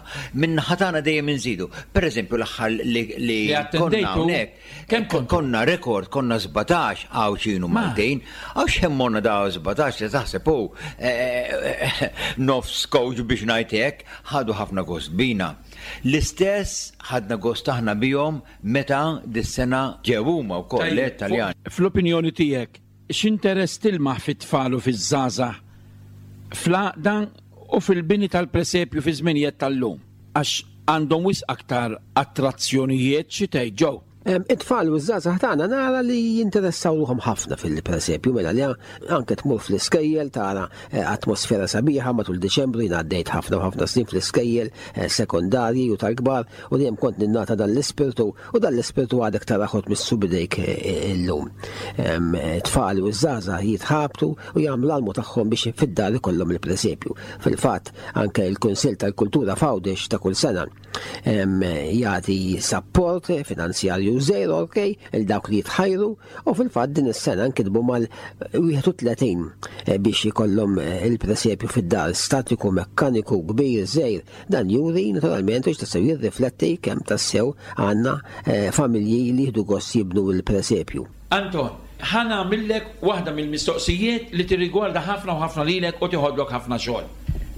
Minn ħatana dejjem inżidu. Per eżempju, l-aħħar li, li Li konna attendejtu, hawnhekk, kemm kontu? konna rekord, konna sbatax Għawdxin u Ma. Maltin, għax hemmonna da sbatax li taħseb u eh, eh, nofs coach biex ngħid hekk, ħadu ħafna gost bina. L-istess ħadna gost aħna bihom meta dis-sena ġew huma wkoll Tajjeb, l-Italjan. fuq- Fl-opinjoni tiegħek, x'interess tilmaħ fit-tfal u fiż-żgħażagħ fl-għaqda u fil-bini tal-presepju fi żminijiet tal-lum? Għax għandhom wisq aktar attrazzjonijiet, xi tgħid, Joe? Em, It-tfal u ż-żgħażagħ tagħna nara li jinteressaw ruħhom ħafna fil-presepju, mela li anke tmur fl-iskejjel tara eh, atmosfera sabiħa matul Deċembru. Jien għaddejt ħafna u ħafna snin fl-iskejjel eh, sekondarji u tal-kbar u dejjem kont ninnota dan l-ispirtu u dan l-ispirtu għadek tarah missu bidejk eh, illum. Em, eh, Tfal u ż-żgħażagħ jitħabtu u jagħmlu l-almu tagħhom biex fid-dar ikollhom il-presepju. Fil-fatt anke il-Kunsill tal-Kultura f'Għawdex ta' kull sena em, jagħti support finanzjarju żgħir, ok, il dawk li jitħajru, u fil-fatt din is-sena nkitbu mal-wieħed u tletin eh, biex ikollhom eh, il-presepju fid-dar, statiku, mekkaniku, kbir, żgħir. Dan juri naturalment u tassew jirrifletti kemm tassew għandna eh, familji li jieħdu gost jibnu il-presepju. Anton, ħa nagħmillek waħda mill-mistoqsijiet li tirrigwarda ħafna u ħafna lilek u tiħodlok ħafna xogħol.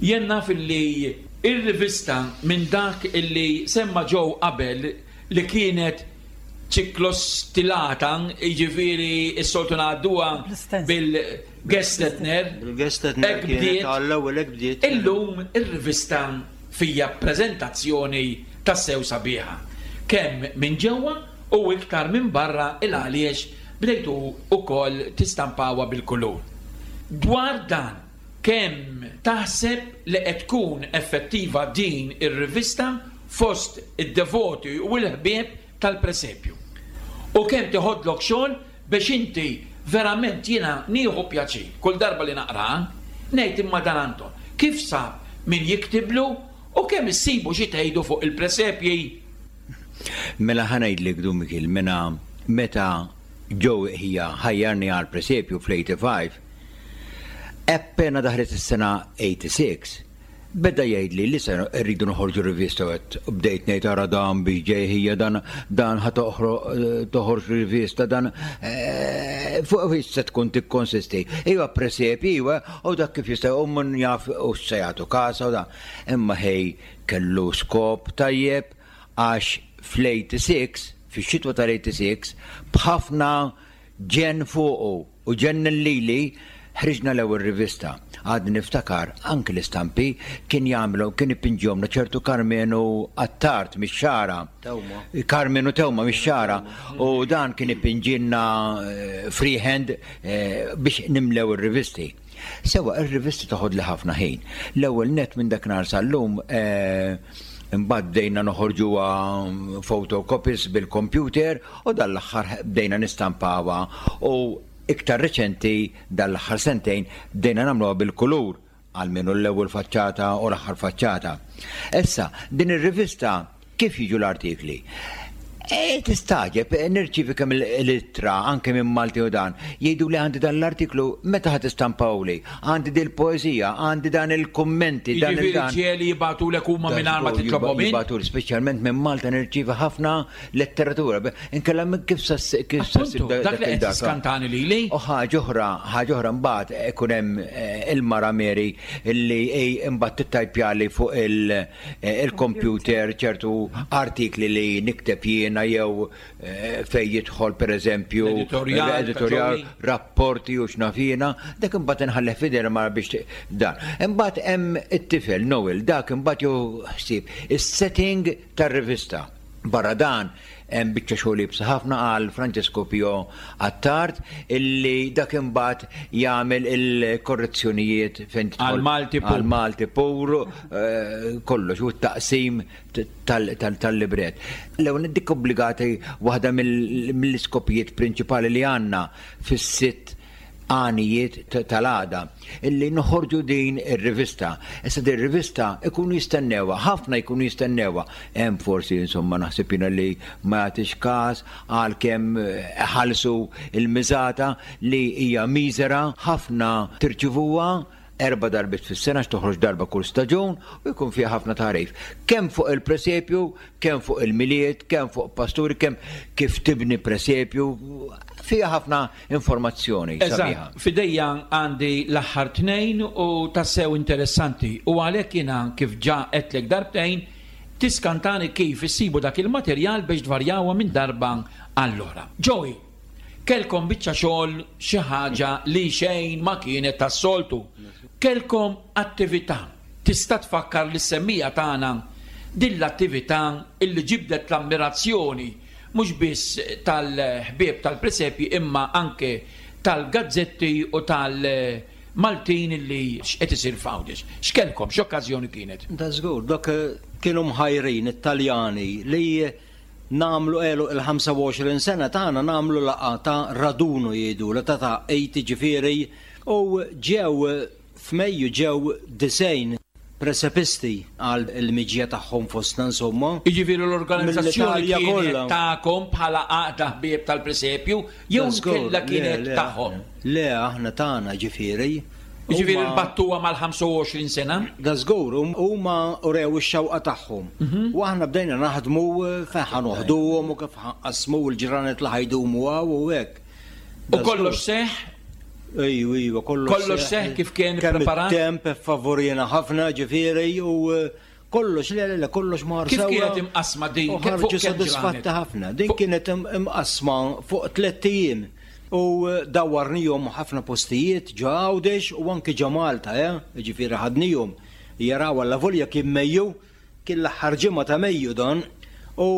Jien naf illi ir-rivista, minn dak illi semma Joe qabel, li kienet ċiklostilata, jiġifieri s-soltu ngħadduha Bl-stencil. bil-Gestetner. Bil-Gestetner Hekk kienet bdiet. għall-ewwel, hekk bdiet. Illum ir-rivista fija prezentazzjoni tassew sabiħa. Kemm minn ġewwa u iktar minn barra, il għaliex bdejtu ukoll tistampawha bil-kulur. Dwar dan, kemm taħseb li qed tkun effettiva din ir-rivista fost id-devoti u l-ħbieb tal-presepju? U kemm tiħodlok xogħol biex inti verament, jiena nieħu pjaċir kull darba li naqra, ngħid imma dan Anton, kif sab min jiktiblu u kemm issibu xi tgħidu fuq il-presepji? Mela ħa ngħidlek, Dun Mikiel, mena meta Joe hija ħajjarni għal presepju fl-ħamsa u tmenin, appena daħlet is-sena tmienja u sebgħin, beda jgħidli li se rridu noħorġu rivista u għedt- u bdejt ngħid, ara dan biex ġej hija, dan dan ħa toħroġ rivista, dan eh, fuq fiex se tkun tikkonsisti? Iva, presepji, iva, u dak kif jista' u mun jaf u se jagħtu kasa u dan. Imma ħej kellu skop tajjeb għax fl-sitta u tmenin, fix-xitwa tal-sitta u tmenin, b'ħafna ġen fuqu u ġen lili, ħriġna l-ewwel rivista. Għad niftakar anke l-istampi kien jagħmlu, kien ipinġihomna ċertu Karmenu Attard mix-Xagħra. Tewma. Karmenu Tewma mix-Xagħra. U dan kien ipinġilna eh, freehand eh, biex nimlew ir-rivisti. Sewa, ir-rivisti toħod li ħafna ħin. L-ewwel net minn dak nhar sal-lum eh, imbagħad bdejna noħorġuha photocopies bil-computer u dal-aħħar bdejna nistampawha u iktar reċenti, dal-aħħar sentejn, bdejna nagħmluha bil-kulur, għalmenu l-ewwel faċċata u l-aħħar faċċata. Issa, din ir-rivista kif jiġu l-artikli? E, tistagħġeb, nirċivi kemm l-ittra anke minn Malti u dan, jgħidu li għandi dan l-artiklu, meta ħa tistampawli, għandi dil poezija, għandi dan il-kommenti, dan Jiġifieri il-dan. ġieli jibagħtulek huma mingħajr ma titlobhom int? Jibagħtu, speċjalment minn Malta nirċivi ħafna letteratura. Inkella minn kif sa kif sa Appuntu, dak li qed tiskantani lili. U ħaġa oħra, ħaġa oħra mbagħad ikun hemm eh, il-mara Mary illi ej imbagħad tittajpjali fuq il- eh, il-computer ċertu artikli li nikteb jiena jew eh, fej jidħol pereżempju L-editorjal, l-editorjal, ta' Joey. rapporti u x'naf jiena, dak imbagħad inħalleh f'idejn mara biex t- dan. Imbagħad hemm it-tifel Noel, dak imbagħad jew ħsieb is-setting tar-rivista. Barra dan hemm biċċa xogħol iebsa ħafna għal Francesco Pio Attard illi dak imbagħad jagħmel il-korrezzjonijiet fejn tidħol- Għal Malti pur. Għal Malti pur, eh, kollox u t-taqsim tal- tal- tal-libret. L-ewwel dik obbligati waħda mill- mill-iskopijiet prinċipali li għandna fis-sitt għanijiet tal-għaqda illi noħorġu din ir-rivista. Issa din ir-rivista ikunu jistennewha, ħafna jkunu jistennewha. Hemm forsi, insomma, naħseb jiena li ma jagħtix każ għalkemm ħallsu il-miżata li hija miżera ħafna, tirċivuha erba' darbiet fis-sena, toħroġ darba kull staġun u jkun fiha ħafna tagħrif. Kemm fuq il-presepju, kemm fuq il-Milied, kemm fuq pasturi, kemm kif tibni presepju, fiha ħafna informazzjoni sabiħa. Eżatt, f'idejja għandi l-aħħar tnejn u tassew interessanti. U għalhekk jiena, kif ġa għedtlek darbtejn, tiskantani kif issibu dak il-materjal biex tvarjawha minn darba allora. Joey, kelkom biċċa xogħol, xi ħaġa li xejn ma kienet tas-soltu. Kelkom attività. Tista' tfakkar lis-semmiegħa tagħna din l-attività illi ġibdet l-ammirazzjoni mhux biss tal-ħbieb tal-presepji imma anke tal-gazzetti u tal-Maltin illi x'qed isir f'Għawdex? X'kelkom, x'okkażjoni kienet? Da żgur, dak eh, kienu mħajrin it-Taljani li nagħmlu elu il-ħamsa u għoxrin sena tagħna, nagħmlu laqgħa ta' raduno jgħidu, la ta' ta' ġifieri, u ġew f'Mejju, ġew disgħin presepisti għal il-miġja tagħhom fostna, insomma. Jiġifieri l-organizzazzjoni Mill-Italja kienet kollha. tagħkom bħala għaqda ħbieb tal-presepju jew Da żgur, kella le, kienet le, tagħhom? Le, aħna tagħna ġifieri. Jiġifieri Huma- l-battuwa mal-ħamsa u għoxrin sena? Da żgur, hum- huma urew ix-xewqa tagħhom. U aħna bdejna naħdmu eh, fejn ħa noħduhom u kif ħa nqassmu l-ġranet li ħa jdumu hawn u hekk. U Da kollox żgur. seħ? Ejju, ejju, kollox. Kollox seħ kif kien Kemm preparat? it-temp favorina ħafna, ġifieri, u eh, kollox, le, le, le, kollox mar Kif sewwa. kienet imqasma din? U Fuq ħarġu kemm sodisfatti ġranet? ħafna. Din Fuq- kienet im- imqasma fuq tliet ijiem. U eh, dawwarnihom ħafna postijiet ġo Għawdex u anke ġo Malta, eh? Ġifieri ħadnihom jaraw, allavolja kien Mejju, kien l-aħħar ġimgħa ta' Mejju dan, u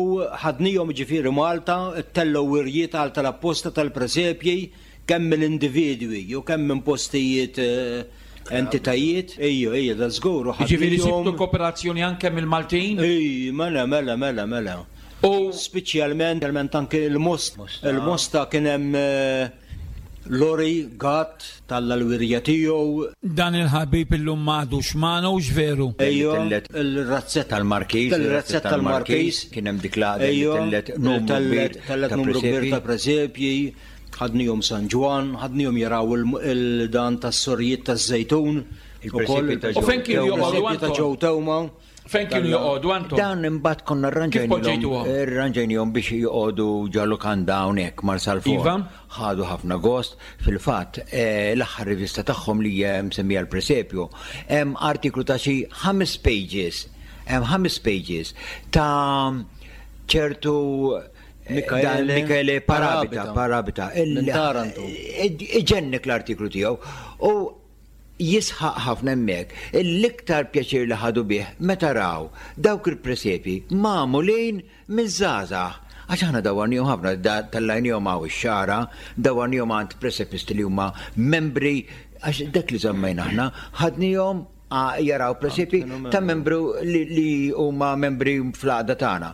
ħadnihom ġifieri Malta, tellgħu wirjiet għal tal-apposta tal-presepji, kemm mill-individwi u kemm minn postijiet, eh, entitajiet. Ejju, ejju, da żgur. U Jiġifieri ħadnihom- sibtu kooperazzjoni anke mill-Maltin? Ej, mela, mela, mela, mela. U Speċjalment, speċjalment anke il-Most. Il-Mosta kien hemm eh, Lori Gatt tella' l-wirja tiegħu. Dan il-ħabib illum m'għadux magħna, hux veru? Ejju, Tellet- il-razzett Tal-Markiż, Il-razzett tal-Markiż. Kien hemm dik l-għaqda li Ejju, tellet numru tellet kbir tellet ta' numru kbir presepji. ta' presepji. Ħadnihom San Ġwann, ħadnihom jaraw il- il-dan tas-sorijiet taż-Żejtun. Il-presepji ta' U fejn kienu joqogħdu, Il-presepji ta' Anton? Ġew Tewma. Fejn kienu joqogħdu, Anton? Dan imbagħad konna Kif poġġejtuhom? rranġajnihom biex joqogħdu ġo lukanda hawnhekk Marsalforn. Iva. Ħadu ħafna gost. Fil-fatt, eh, l-aħħar rivista tagħhom li hija msemmija l-Presepju, hemm artiklu ta' xi ħames pages, hemm ħames pages ta' ċertu eh, Michele dan Michele Parabita, Parabita. Parabita. Minn Taranto. Iġennek l-artiklu tiegħu u jisħaq ħafna hemmhekk. L-iktar pjaċir li ħadu bih meta raw dawk il-presepi magħmulin miż-żgħażagħ. Għax aħna dawwarnihom ħafna, da- tellajnihom hawn ix-Xagħra, dawwarnihom għand presepisti li huma membri, għax dak li żammejna aħna, ħadnihom a- jaraw presepi ta' membru li, li huma membri fl-għaqda tagħna.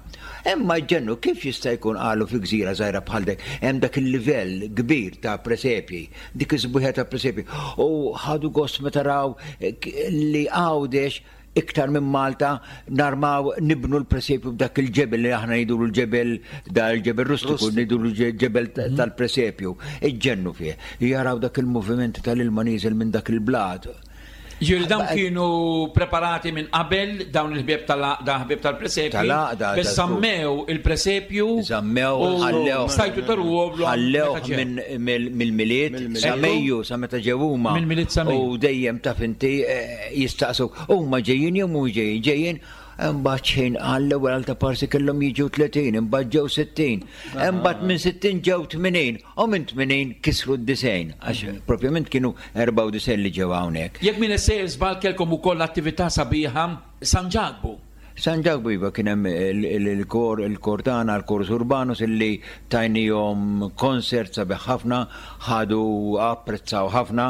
Imma ġennu kif jista' jkun, qalu, fi gżira żgħira bħal dik hemm dak il-livell kbir ta' presepji, dik is-sbuħija ta' presepji. U ħadu gost meta raw eh, k- li Għawdex iktar minn Malta narmaw nibnu l-presepju b'dak il-ġebel li aħna ngħidulu l-ġebel, da l-ġebel rustiku, ngħidulu ġebel ta- tal-presepju. Iġġennu fih. Jaraw dak il-moviment tal-ilma nieżel minn dak il-blat. Ġifieri dawn kienu preparati minn qabel, dawn il-ħbieb tal-għaqda ħbieb tal-presepju. Tal-għaqda, Bes ta' zammew il-presepju. Zammew, u ħallew. Stajtu taruhom. Ħallew minn mill- mill-Milied sa Mejju, sa meta ġew huma. Mill-Milied sa Mejju. U dejjem taf inti eh, jistaqsu, huma ġejjin jew mhux ġejjin, ġejjin. Imbagħad xejn, għall-ewwel għal ta' parsi kellhom jiġu tletin, imbagħad ġew sittin, imbagħad minn sittin ġew tmenin, u minn tmenin kisru d-disgħin, għax propjament kienu erbgħa u disgħin li ġew hawnhekk. Jekk minn sejjer żball, kelkom ukoll attività sabiħa San Ġakbu. San Ġakbu, iva, kien hemm il- il- il-kor il-kor tagħna, il-Chorus Urbanus, illi tajnihom concert sabiħ ħafna, ħadu apprezzaw ħafna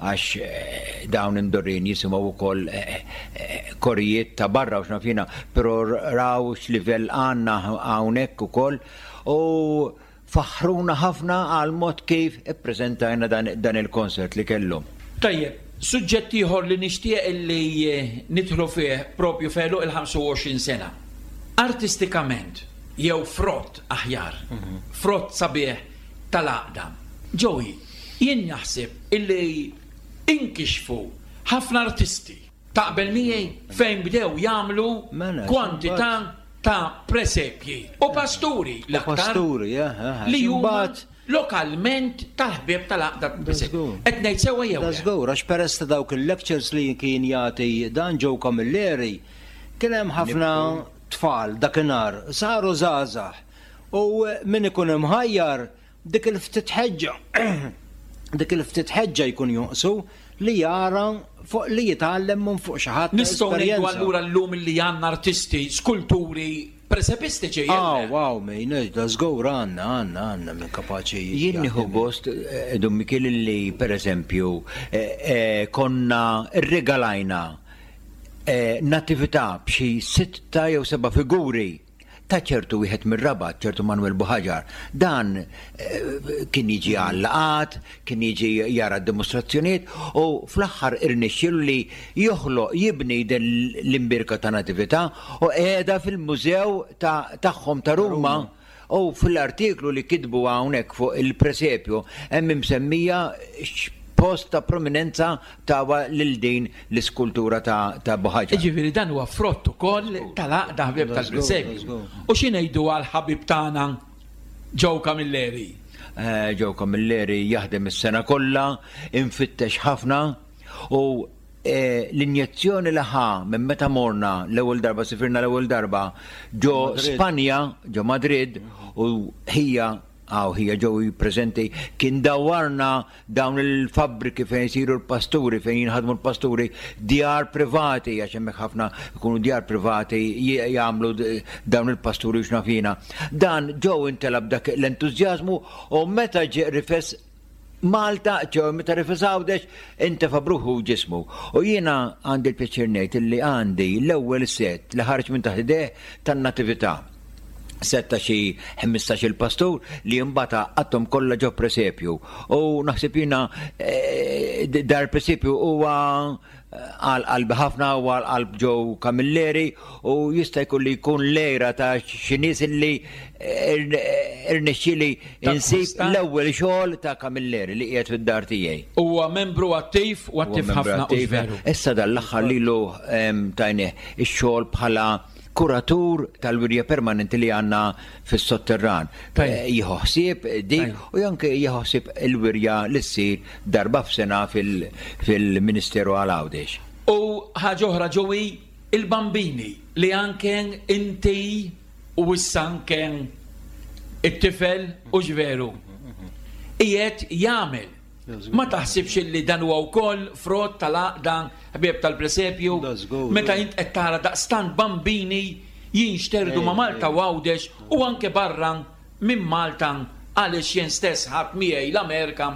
għax eh, dawn imdorrin jisimgħu wkoll eh, eh, korijiet ta' barra u x'naf jiena, però raw x'livell għandna hawnhekk ukoll u Faħruna ħafna għal mod kif ippreżentajna dan, dan il-konsert li kellhom. Tajjeb, suġġett ieħor li nixtieq li nidħlu fih propju f'għeluq il-ħamsa u għoxrin sena. Artistikament, jew frott aħjar, frott sabiħ tal-għaqda. Joey, jien naħseb illi inkixfu ħafna artisti, taqbel miegħi, fejn bdew jagħmlu Mela, kwantità ta' presepji u pasturi l-aktar Pasturi, eh, eh, li huma imbagħad- lokalment tal-ħbieb tal-għaqda presepju. żgur. Qed ngħid sewwa jew Da le? żgur, għax peress ta' dawk il-lectures li kien jagħti dan Joe Camilleri, kien hemm ħafna tfal dakinhar, saru żgħażagħ. U min ikun imħajjar dik il-ftit ħeġġa, dik il-ftit ħeġġa jkun jonqsu li jara fuq li jitgħallem minn fuq xi ħadd ta' Nistgħu ngħidu esperjenza. allura llum li għandna artisti, skulturi, presepistiċi, jew Ah, le? wow, min, da żgur għandna, għandna, għandna minn kapaċi. Jien nieħu gost, eh, Dun Mikiel, li per eżempju eh, eh, konna rregalajna eh, natività b'xi sitta jew seba' figuri ta' ċertu wieħed mir-Rabat, ċertu Manuel Buħaġar. Dan eh, kien jiġi għal-laqgħat, kien jiġi jara d-dimostrazzjonijiet u fl-aħħar irnexxielu li joħloq, jibni din l-imbirka ta' natività u qiegħda fil-mużew ta' tagħhom ta' Ruma. U fil-artiklu li kitbu hawnhekk fuq il-presepju hemm imsemmija post ta' prominenza tawa lil din l-iskultura ta' ta' Buħaġar. Ġifieri dan huwa frott ukoll tal-għaqda ħbieb tal-presepju. U xi ngħidu għal ħabib tagħna Joe Camilleri? Eh, Joe Camilleri jaħdem is-sena kollha, infittex ħafna u eh, l-injezzjoni li ħa minn meta morna l-ewwel darba, sifirna l-ewwel darba ġo Madrid. Spanja, ġo Madrid, u ħija għaw ħija ġew prezenti, kien dawarna dawn il-fabbriki fejn jisiru l-pasturi, fejn jinħadmu l-pasturi, djar privati, għax hemmhekk ħafna jkunu djar privati j- jagħmlu d- dawn il-pasturi u x'nafina. Dan ġew intelab dak l-entużjażmu u meta ġie rifes Malta, ġew meta rifes Għawdex, intefa b'ruħu u ġismu. U jiena għandi l-pjaċir ngħid illi għandi l-ewwel set li ħareġ minn taħt idejh tan-natività. Set ta' xi ħmistax il-pastur li mbagħad għaqqadhom kollha ġo presepju. U naħseb jiena eh, dar presepju huwa għal qalbi ħafna u għal qalb Joe Camilleri u jista' jkun li jkun lejra ta' xi nies li irnexxieli insib Takkwista. l-ewwel xogħol ta' Camilleri li qiegħed fid-dar tiegħi. Huwa membru attiv u attiv Huwa membru ħafna u attiv. veru. Issa dal-aħħar lilu em, tajnieh ix-xogħol bħala kuratur tal-wirja permanenti li għandna fis-sotterran. Tajjeb. Eh, Jieħu ħsieb dik Tajjeb. u anke jieħu ħsieb il-wirja li ssir darba f'sena fil- fil-Ministeru għal Għawdex. U ħaġa oħra, Joey, il-bambini li anke inti u issa anke it-tifel u ġveru. Qiegħed jagħmel. Ma taħsibx li dan huwa wkoll frott tal-għaqda ħbieb tal-presepju Da żgur. Meta int qed tara daqstant bambini jinxterdu ma' Malta u Għawdex u anke barra minn Malta, għaliex jien stess ħadd miegħi l-Amerika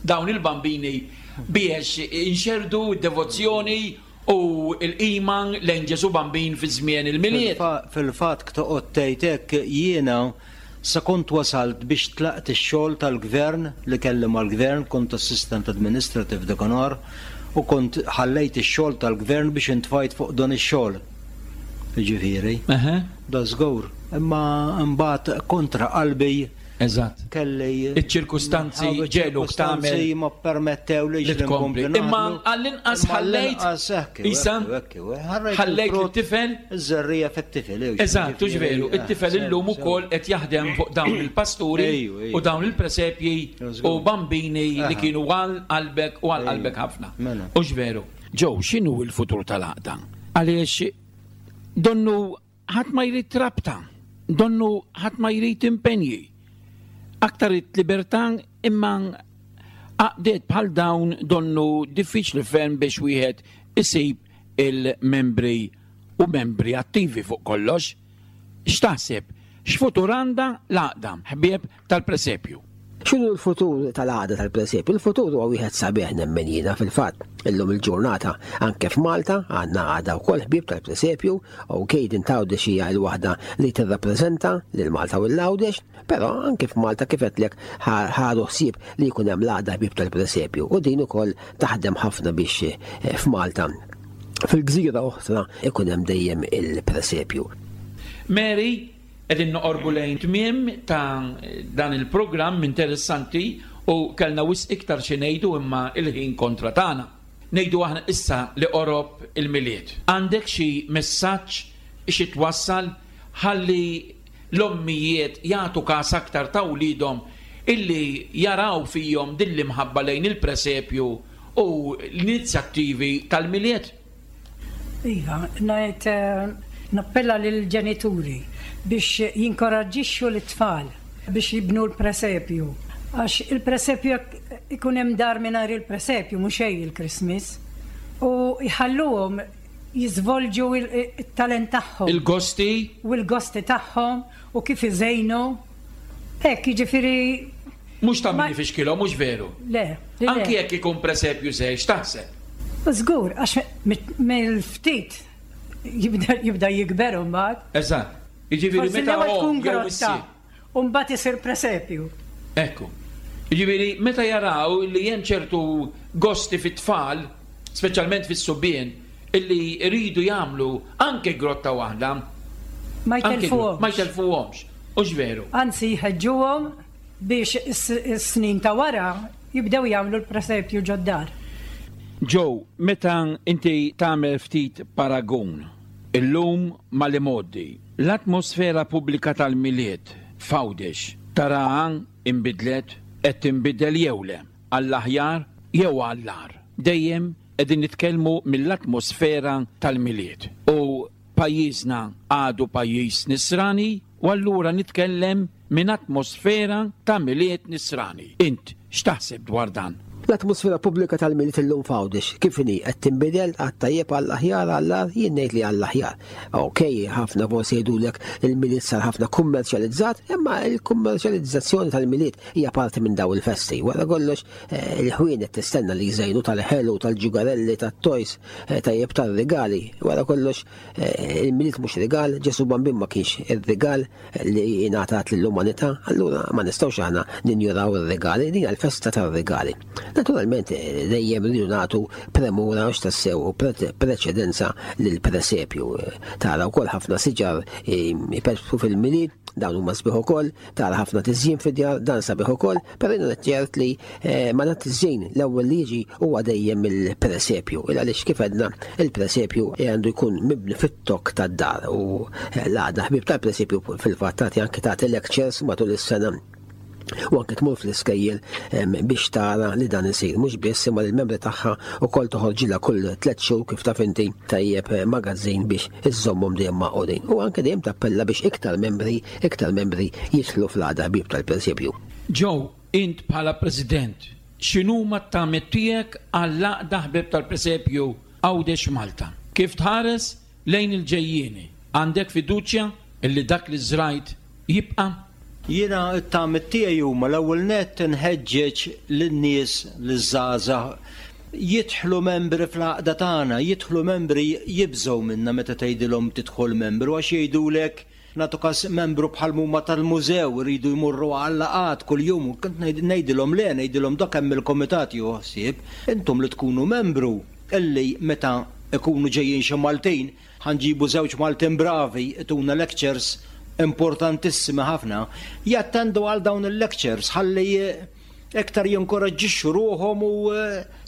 dawn il-bambini biex inxerdu d-devozzjoni u l-qima lejn Ġesu Bambin fi żmien il-Milied. Fil-fa- Fil-fatt toqgħod tgħid hekk, jiena sa kont wasalt biex tlaqt ix-xogħol tal-gvern li kelli mal-gvern, kont assistant administrative dakinhar u kont ħallejt ix-xogħol tal-gvern biex intfajt fuq dan ix-xogħol. Ġifieri, Eħe, da żgur. Imma mbagħad kontra qalbi Eżatt. kelli Iċ-ċirkustanzi Ħabu ġegħluk ċirkustanzi tagħmel ma permettew li li tkompli. Imma għall-inqas ħallejt isa ħallejt it-tifel. Iż-żerriegħa fit-tifel. eww, Eżatt, u ġifieri, veru, eh, it-tifel sew, illum sew. ukoll qed jaħdem fuq dawn il-pasturi Ejju, ejju. u dawn il-presepji Żgur. u bambini li Aha. kienu għal qalbek u għal Ejju. qalbek ħafna. Mela. U veru. Joe, x'inhu l-futur tal-għaqda? Għaliex donnu ħadd ma jrid rabta, donnu ħadd ma jrid impenji. Aktar it-libertà, imma għaqdiet bħal dawn donnu diffiċli ferm biex wieħed isib il-membri u membri attivi fuq kollox. X'taħseb? X'futur għandha l-għaqda ħbieb tal-presepju? X'inhu l-futur tal-Għaqda tal-Presepju? Il-futur huwa wieħed sabiħ nemmen jiena fil-fatt. Illum il-ġurnata anke f'Malta għandna għaqda wkoll ħbieb tal-Presepju, u din t'Għawdex hija l-waħda li tirrappreżenta lil Malta u l-Għawdex, però anke f'Malta kif għedtlek ħadu ħsieb li jkun hemm l-Għaqda Ħbieb tal-Presepju, u din ukoll taħdem ħafna biex eh, f'Malta fil-gżira oħra ikun hemm dejjem il-presepju. Mary, qegħdin noqorbu lejn tmiem ta' dan il-programm interessanti u kellna wisq iktar xi ngħidu imma il-ħin kontra tagħna. Ngħidu aħna issa li qorob il-Milied. Għandek xi messaġġ xi twassal ħalli l-ommijiet jagħtu każ aktar ta' wliedhom illi jaraw fihom din l-imħabba lejn il-presepju u l-inizjattivi tal-Milied? Iva, ngħid eh, nappella lill-ġenituri biex jinkoraġġixxu l-tfal biex jibnu l-presepju. Għax il-presepju jekk ikun hemm dar mingħajr il-presepju mhux xejn il-Christmas. U jħalluhom jiżvolġu il-talent tagħhom. Il-gosti? U l-gosti tagħhom u kif iżejnu. Hekk jiġifieri Mhux ta' min ifixkilhom, mhux veru? Le. Le. Anki jekk ikun presepju żgħir, x'taħseb? Żgur, għax mill-ftit jibda jibda jikber mbagħad. Eżatt. Jiġifieri Forsi meta l-ewwel tkun omm jew grotta, missier. u mbagħad isir presepju. Ekku. Jiġifieri meta jaraw li hemm ċertu gosti fit-tfal, speċjalment fis-subien, illi jridu jagħmlu anke grotta waħda. Ma anke jtelfuhomx. Ma jtelfuhomx. Hux veru? Anzi jħeġġuhom biex is-snin ta' wara jibdew jagħmlu l-presepju ġod-dar. Joe, meta inti tagħmel ftit paragun illum mal-imgħoddi, l-atmosfera pubblika tal-Milied f'Għawdex taraha inbidlet, qed tinbidel jew le, għall-aħjar jew għall-agħar? Dejjem qegħdin nitkellmu mill-atmosfera tal-Milied. U pajjiżna għadu pajjiż nisrani, u allura nitkellem minn atmosfera ta' Milied nisrani. Int x'taħseb dwar dan? L-atmosfera pubblika tal-Milied illum f'Għawdex kif inhi, qed tinbidel għat-tajjeb, għall-aħjar, għall-agħar? Jien ngħid li għall-aħjar. Ok, ħafna forsi jgħidulek il-Milied sar ħafna kummerċjalizzat, imma il-kummerċjalizzazzjoni tal-Milied hija parti minn daw il-festi. Wara kollox eh, il-ħwienet tistenna li jżejnu tal-ħelu, tal-ġugarelli, tat-toys, eh, tajjeb tal-regali. Wara kollox eh, il-Milied mhux rigal, Ġesu Bambin ma kienx ir-rigal li jingħatat lill-umanità, allura ma nistgħux aħna ninjuraw ir-regali, din hija l-festa tar-regali. Naturalment dejjem rridu nagħtu premura għax tassew u preċedenza lill-presepju. Tara wkoll ħafna siġar jpetptu fil-Milied, dawn huma sbieħ ukoll, tara ħafna tiżjin fid-djar, dan sabiħ ukoll, però jiena ċert li eh, ma tiżjin l-ewwel li jiġi huwa dejjem il-presepju. Il għaliex kif għedna il-presepju għandu jkun mibni fit-tokk tad-dar u l-Għaqda Ħbieb tal-Presepju fil-fatt tagħti anke tagħti lectures matul is-sena u anke tmur fl-iskejjel biex tara li dan isir. Mhux biss imma l-membri tagħha ukoll toħorġilha kull tliet xhur kif taf inti tajjeb magazzin biex iżżommhom dejjem magħqudin. U anke dejjem tappella biex iktar membri, iktar membri jidħlu fl-Għaqda Ħbieb tal-Presepju. Joe, int bħala president, x'inhuma t-tamiet tiegħek għall-Għaqda Ħbieb tal-Presepju Għawdex Malta? Kif tħares lejn il-ġejjieni? Għandek fiduċja illi dak li żrajt jibqa'? Jiena t-tamiet tiegħi huma l-ewwel nett nħeġġeġ lin-nies, liż-żgħażagħ jidħlu membri fl-għaqda tagħna, jidħlu membri. Jibżgħu minna meta tgħidilhom tidħol membru għax jgħidulek, nagħtu kas membru bħal huma tal-mużew iridu jmorru għal-laqgħat kuljum. Kont ngħidilhom le, ngħidilhom dak hemm il-komitat jieħu ħsieb, intom li tkunu membru illi meta ikunu ġejjin xi Maltin, ħa nġibu żewġ Maltin bravi ituna lectures importantissimi ħafna, jattendu għal dawn il-lectures ħalli iktar jinkoraġġixxu ruħhom u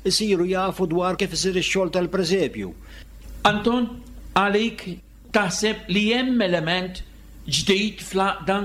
jsiru jafu dwar kif isir ix-xogħol tal-presepju. Anton, għalik taħseb li hemm element ġdid fl-għaqda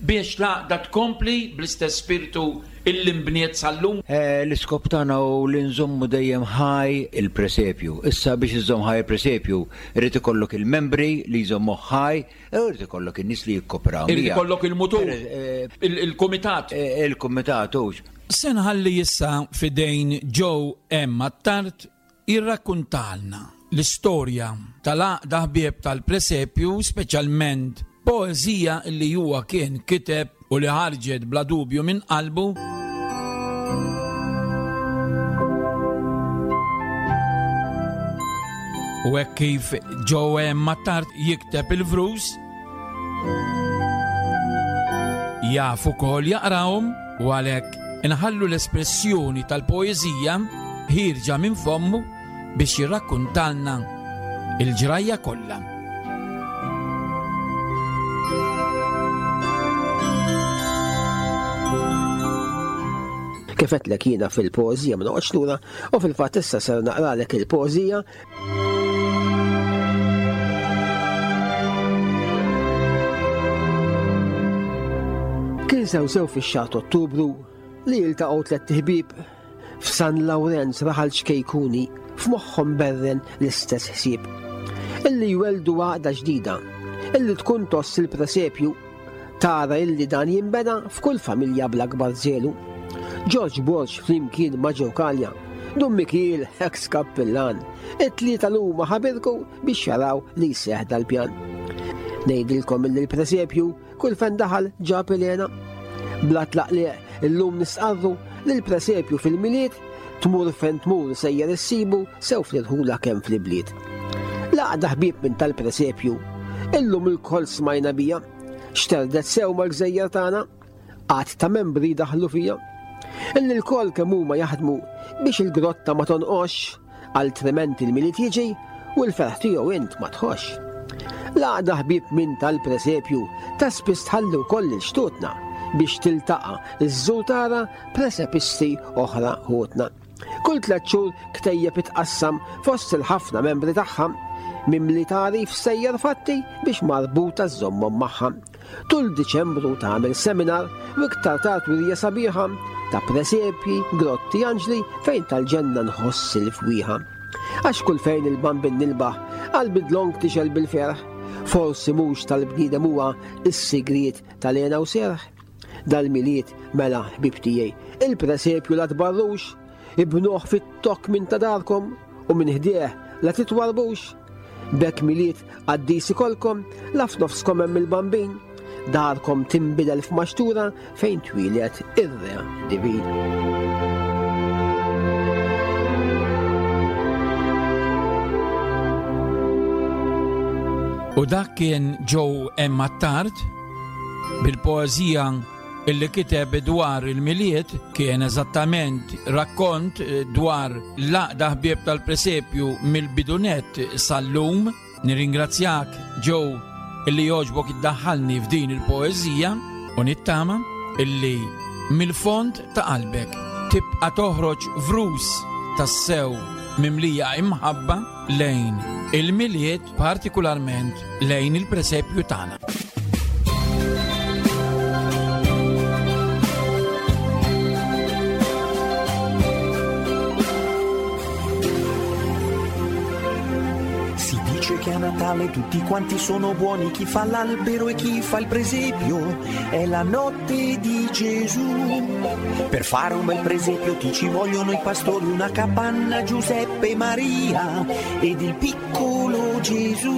biex l-għaqda tkompli bl-istess spiritu illi nbniet sal-lum? Eh, l-iskop tagħna hu li nżommu dejjem ħaj il-presepju. Issa biex iżomm ħaj il-presepju, irid ikollok il-membri li jżommu ħaj, u irid ikollok in-nies li jikkopraw. Irid ikollok il-mutur, eh, il-kumitat. Eh, il-kumitat hux. Se nħalli issa f'idejn Joe M. Attard jirrakkuntalna l-istorja tal-Għaqda Ħbieb tal-Presepju, speċjalment poeżija li huwa kien kiteb u li ħarġet bla dubju minn qalbu. U hekk kif Joe Mattard jikteb il-vrus, jaf ukoll jaqrahom u għalhekk inħallu l-espressjoni tal-poeżija ħierġa minn fommu biex jirrakkuntalna il-ġrajja kollha. Kif għedtlek jiena fil-poeżija ma noqgħodx lura u fil-fatt issa ser naqralek il-poeżija. Kien sew sew fix-xahar Ottubru li jiltaqgħu tliet ħbieb f'San Lawrenz raħal ċkejkuni f'moħħhom berren l-istess ħsieb. Illi jweldu għaqda ġdida, illi tkun toss il-presepju, tara illi dan jinbena f'kull familja bl-akbar żelu. George Borg flimkien ma' Joe Kalja, Dun Mikiel ex kappillan, it-tlieta l-huma ħabirku biex jaraw li jseħ dal-pjan. Ngħidilkom illi l-presepju kull fejn daħal ġab Elena. Bla tlaqliq illum nisqarru li l-presepju fil-Milied tmur fejn tmur sejjer issibu sew fl-irħula kemm fl-ibliet. L-għaqda ħbieb minn tal-presepju illum il-koll smajna bija, xterdet sew mal-gżejjer tagħna, għadd ta' membri daħlu fija. Illi l-koll kemm huma jaħdmu biex il-grotta ma tonqox, altrimenti il-Milied jiġi u l-ferħ tiegħu int ma tħoss. L-għaqda ħbieb minn tal-presepju ta' spiss tħallu wkoll il-xtutna biex tiltaqa' iż-żur tara presepisti oħra ħutna. Kull tliet xhur ktejjeb itqassam fost il-ħafna membri tagħha, mimli tagħrif sejjer fatti biex marbuta żommhom magħha. Tul Diċembru tagħmel seminar u iktar tard wirja sabiħa ta' presepji, grotti, anġli fejn tal-ġenna nħoss il-fwieħa. Għax kull fejn il-bambin nilbaħ qalbi dlonk tixel bil-ferħ, forsi mhux tal-bniedem huwa is-sigriet tal-hena u serħ. Dal-Milied mela ħbib tiegħi, il-presepju la tbarrux, ibnuh fit-tokk minn ta' darkom u minn ħdejh la titwarbux. B'hekk Milied qaddis ikolkom la f'nofskom hemm il-bambin, darkom tinbidel f'maxtura fejn twieled ir-re divin. U dak kien Joe M. Attard bil-poeżija illi kiteb dwar il-Milied, kien eżattament rakkont dwar l-għaqda ħbieb tal-presepju mill-bidunet sal-lum. Nirringrazzjak Joe illi jogħġbok iddaħħalni f'din il-poeżija u nittama illi mill-fond ta' qalbek tibqa' toħroġ vrus tassew mimlija imħabba lejn il-Milied, partikolarment lejn il-presepju tagħna. Si dice che a Natale tutti quanti sono buoni, chi fa l'albero e chi fa il presepio, è la notte di Gesù. Per fare un bel presepio ti ci vogliono i pastori, una capanna, Giuseppe e Maria ed il piccolo Gesù.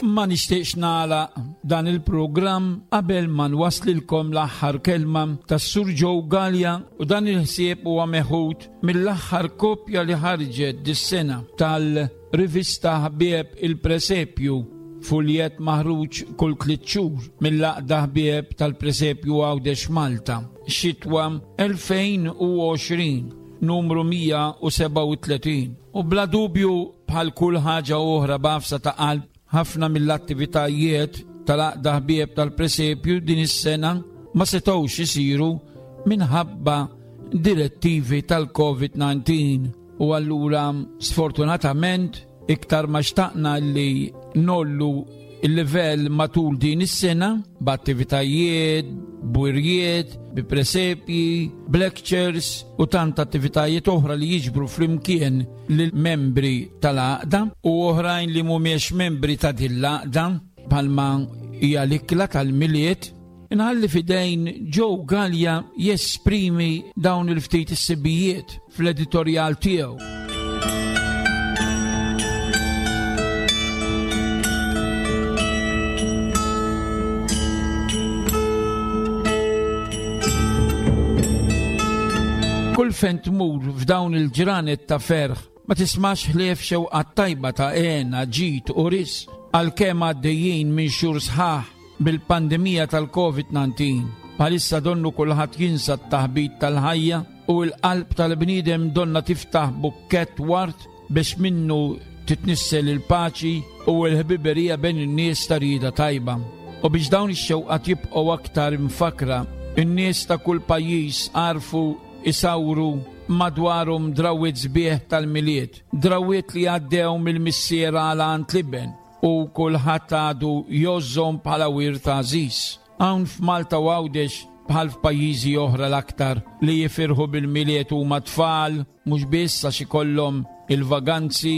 Ma nixtieqx nagħlaq dan il-programm qabel ma nwaslilkom l-aħħar kelma tas-Sur Joe Galea, u dan il-ħsieb huwa meħud mill-aħħar kopja li ħarġet dis-sena tal-rivista Ħbieb il-Presepju, fuljet maħruġ kull tliet xhur mill-għaqda Ħbieb tal-Presepju Għawdex Malta, xitwa elfejn u għoxrin, numru mija u sebgħa u tletin. U bla dubju bħal kull ħaġa oħra b'għafsa ta' qalb, ħafna mill-attivitajiet tal-għaqda Ħbieb tal-Presepju din is-sena ma setgħux isiru minħabba direttivi tal-COVID nineteen, u allura sfortunatament iktar ma xtaqna li nollu il-livell matul din is-sena b'attivitajiet, b'wirjiet, bi presepji, b'lectures u tant attivitajiet oħra li jiġbru flimkien lill-membri tal-għaqda u oħrajn li mhumiex membri ta' din l-għaqda bħalma hija l-ikla tal-Milied. Inħalli fidejn Joe Galea jesprimi dawn il-ftit is-sibijiet fl-editorjal tiegħu. Kull fejn tmur f'dawn il-ġranet ta' ferħ ma tismax ħlief xewqat tajba ta' għena, ġid u risq, għalkemm għaddejjin minn xhur sħaħ bil-pandemija tal-Covid nineteen. Bħalissa donnu kulħadd jinsa t-taħbit tal-ħajja u l-qalb tal-bniedem donna tiftaħ bukkett ward biex minnu titnissel il-paċi u l-ħbiberija bejn in-nies ta' rieda tajba. U biex dawn ix-xewqat jibqgħu aktar imfakra, in-nies ta' kull pajjiż għarfu isawru madwarhom drawwiet sbieħ tal-Milied, drawwiet li għaddew mill-missiera għal għand l-iben u kulħadd għadu jożżhom bħala wirt għażiż. Hawn f'Malta u Għawdex bħal f'pajjiżi oħra l-aktar li jifirħu bil-Milied huma tfal, mhux biss għax ikollhom il-vaganzi,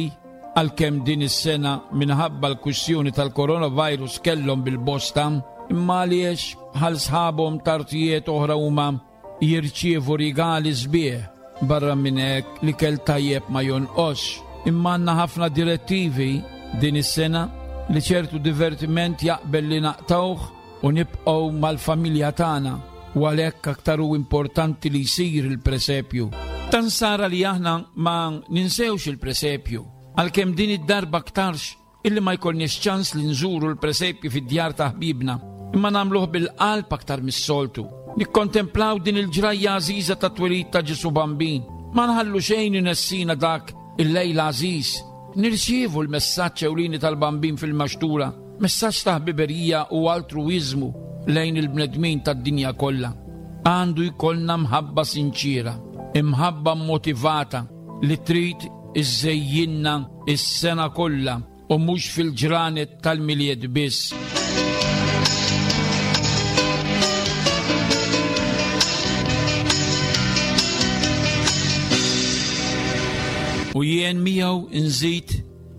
għalkemm din is-sena minħabba l-kwistjoni tal-coronavirus kellhom bil-bosta, imma għaliex bħal sħabhom tartijiet oħra huma jirċievu rigali sbieħ. Barra minn hekk l-ikel tajjeb ma jonqosx. Imma għandna ħafna direttivi din is-sena li ċertu divertiment jaqbel li naqtawh u nibqgħu mal-familja tagħna, u għalhekk aktar hu importanti li jsir il-presepju. Tan sara li aħna ma ninsewx il-presepju, għalkemm din id-darba aktarx illi ma jkollniex ċans li nżuru l-presepju fid-djar ta' ħbibna, imma nagħmluh bil-qalb aktar mis-soltu. Nikkontemplaw din il-ġrajja għażiża ta' twelid ta' Ġesu Bambin. Ma nħallu xejn inessina dak il-lejl għażiż. Nirċievu l-messaġġ ewlieni tal-Bambin fil-maxtura, messaġġ ta' ħbiberija u altruiżmu lejn il-bnedmin tad-dinja kollha. Għandu jkollna mħabba sinċira, imħabba motivata li trid iżejjinna is-sena kollha u mhux fil-ġranet tal-Milied biss. U jien miegħu nżid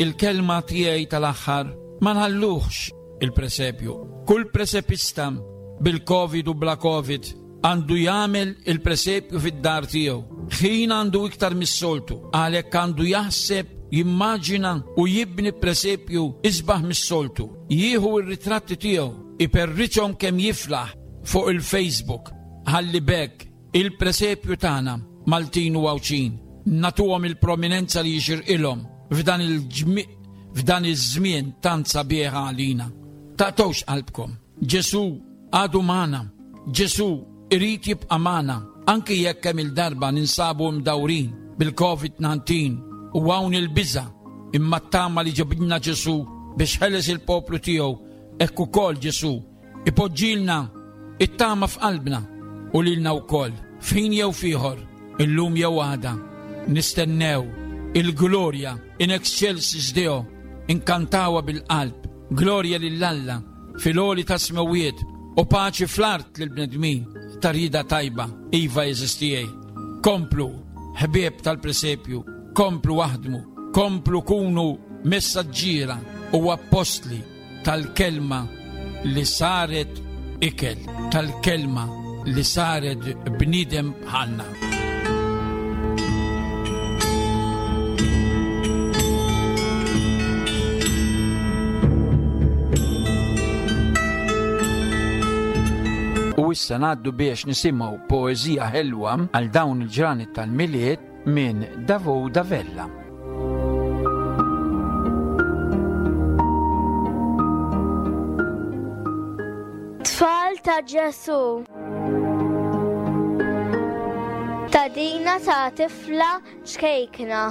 il-kelma tiegħi tal-aħħar, ma nħalluhx il-presepju. Kull presepista bil-Covid u bla Covid għandu jagħmel il-presepju fid-dar tiegħu. Ħin għandu iktar mis-soltu, għalhekk għandu jaħseb, jimmaġina u jibni presepju isbaħ mis-soltu. Jieħu r-ritratti tiegħu, iperriċhom kemm jiflaħ fuq il-Facebook. Ħalli bekk il-presepju tagħna Maltin u Għawdxin nagħtuhom il-prominenza li jixirqilhom f'dan il-ġmi-, f'dan iż-żmien tant sabiħ għalina. Taqtgħux qalbkom. Ġesu għadu magħna. Ġesu irid jibqa' magħna anki jekk kemm il-darba ninsabu mdawrin bil-Covid nineteen u hawn il-biża', imma t-tama li ġabidna Ġesu biex ħeles il-poplu tiegħu, hekk ukoll Ġesu ipoġġilna it-tama f'qalbna u lilna wkoll, f'ħin jew f'ieħor, illum jew għada, nistennew il-glorja in excelsis Deo, inkantawa bil-qalb, glorja lil Alla fil-għoli ta' smewiet u paċi fl-art lill-bnedmin ta' rieda tajba. Iva jeżistijej. Komplu, ħbieb tal-presepju, komplu aħdmu, komplu kunu messaġġiera u appostli tal-kelma li saret ikel, tal-kelma li saret bniedem bħalna. U issa ngħaddu biex nisimgħu poeżija ħelwa għal dawn il-ġranet tal-Milied minn Davo Davella. Tfal ta' Ġesu. Tadina ta' tifla ċkejkna.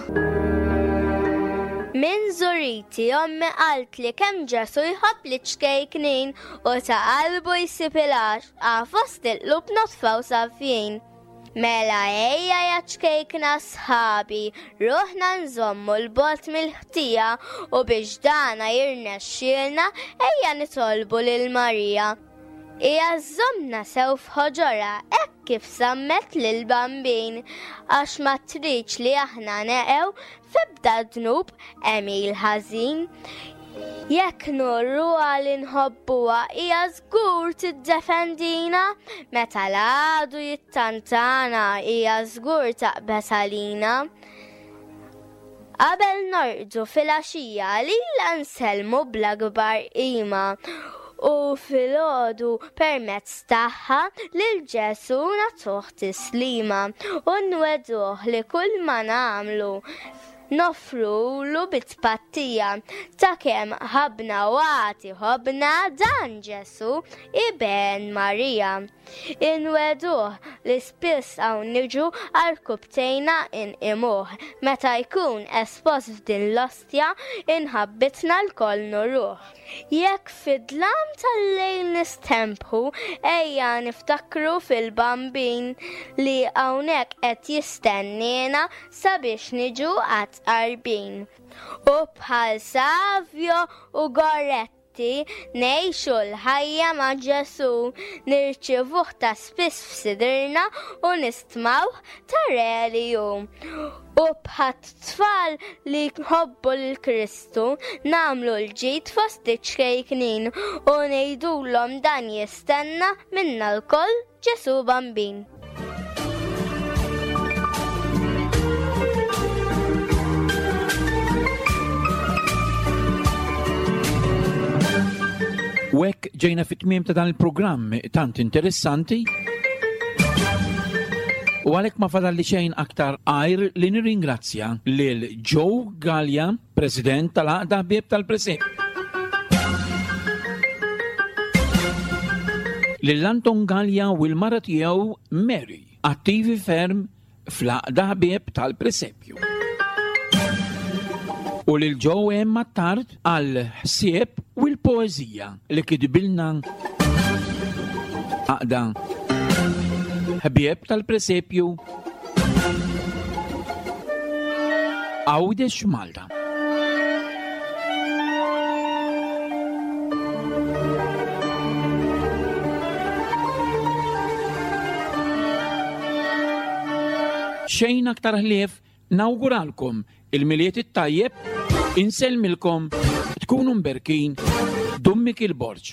Min żuriti ommi qaltli kemm Ġesu jħobb li ċkejknin u ta' qalbu jsib il-għaxqa fost il-qlub notfa u safjin. Mela ejja ja ċkejkna sħabi, ruħna nżommu l-bogħod mill-ħtija u biex dana jirnexxielna ejja nitolbu lil Marija. Hija żżommna sew f'ħoġorha hekk kif sammet lil Bambin, għax ma tridx li aħna neqgħu f'ebda dnub għemil ħażin. Jekk nurruha li nħobbuha hija żgur tiddefendina, meta l-għadu jittantana hija żgur taqbeż għalina. Qabel norqdu filgħaxija lilha nsellmu bl-akbar qima U filgħodu permezz tagħha lil Ġesu nagħtuh tislima u nwegħduh li kull ma nagħmlu noffrulu bit-tpattija ta' kemm ħabbna u għad iħobbna dan Ġesu iben Marija. Inwegħduh li spiss hawn niġu għarkupptejna inqimuh meta jkun espost f'din l-ostja imħabbitna lkoll nuruh. Jekk fid-dlam tal-lejl nistempħu, ejja niftakru fil-bambin li hawnhekk qed jistenniena sabiex niġu għat-tqarbin. U bħal Savio u Goretti ngħixu l-ħajja ma' Ġesu, nirċivuh ta' spiss f'sidrna u nistmawh ta' re li hu. U bħat-tfal li jħobbu lil Kristu nagħmlu l-ġid fost iċ-ċkejknin u ngħidulhom dan jistenna minna lkoll Ġesu Bambin. U hekk ġejna fit-tmiem ta' dan il-programm tant interessanti. U għalhekk ma fadalli xejn aktar għajr li nirringrazzja lil Joe Gallia, President tal-Għaqda Ħbieb tal-Presepju. Lil Anton Gallia u l-mara tiegħu Mary, attivi ferm fl-Għaqda Ħbieb tal-Presepju. U lil Joe M. Attard għal ħsieb u l-poeżija li kitbilna Għaqda Ħbieb tal-Presepju Għawdex Malta. Xejn aktar ħlief nawguralkom il-Milied it-tajjeb, insellmilkom, tkunu mberkin, Dun Mikiel Borg.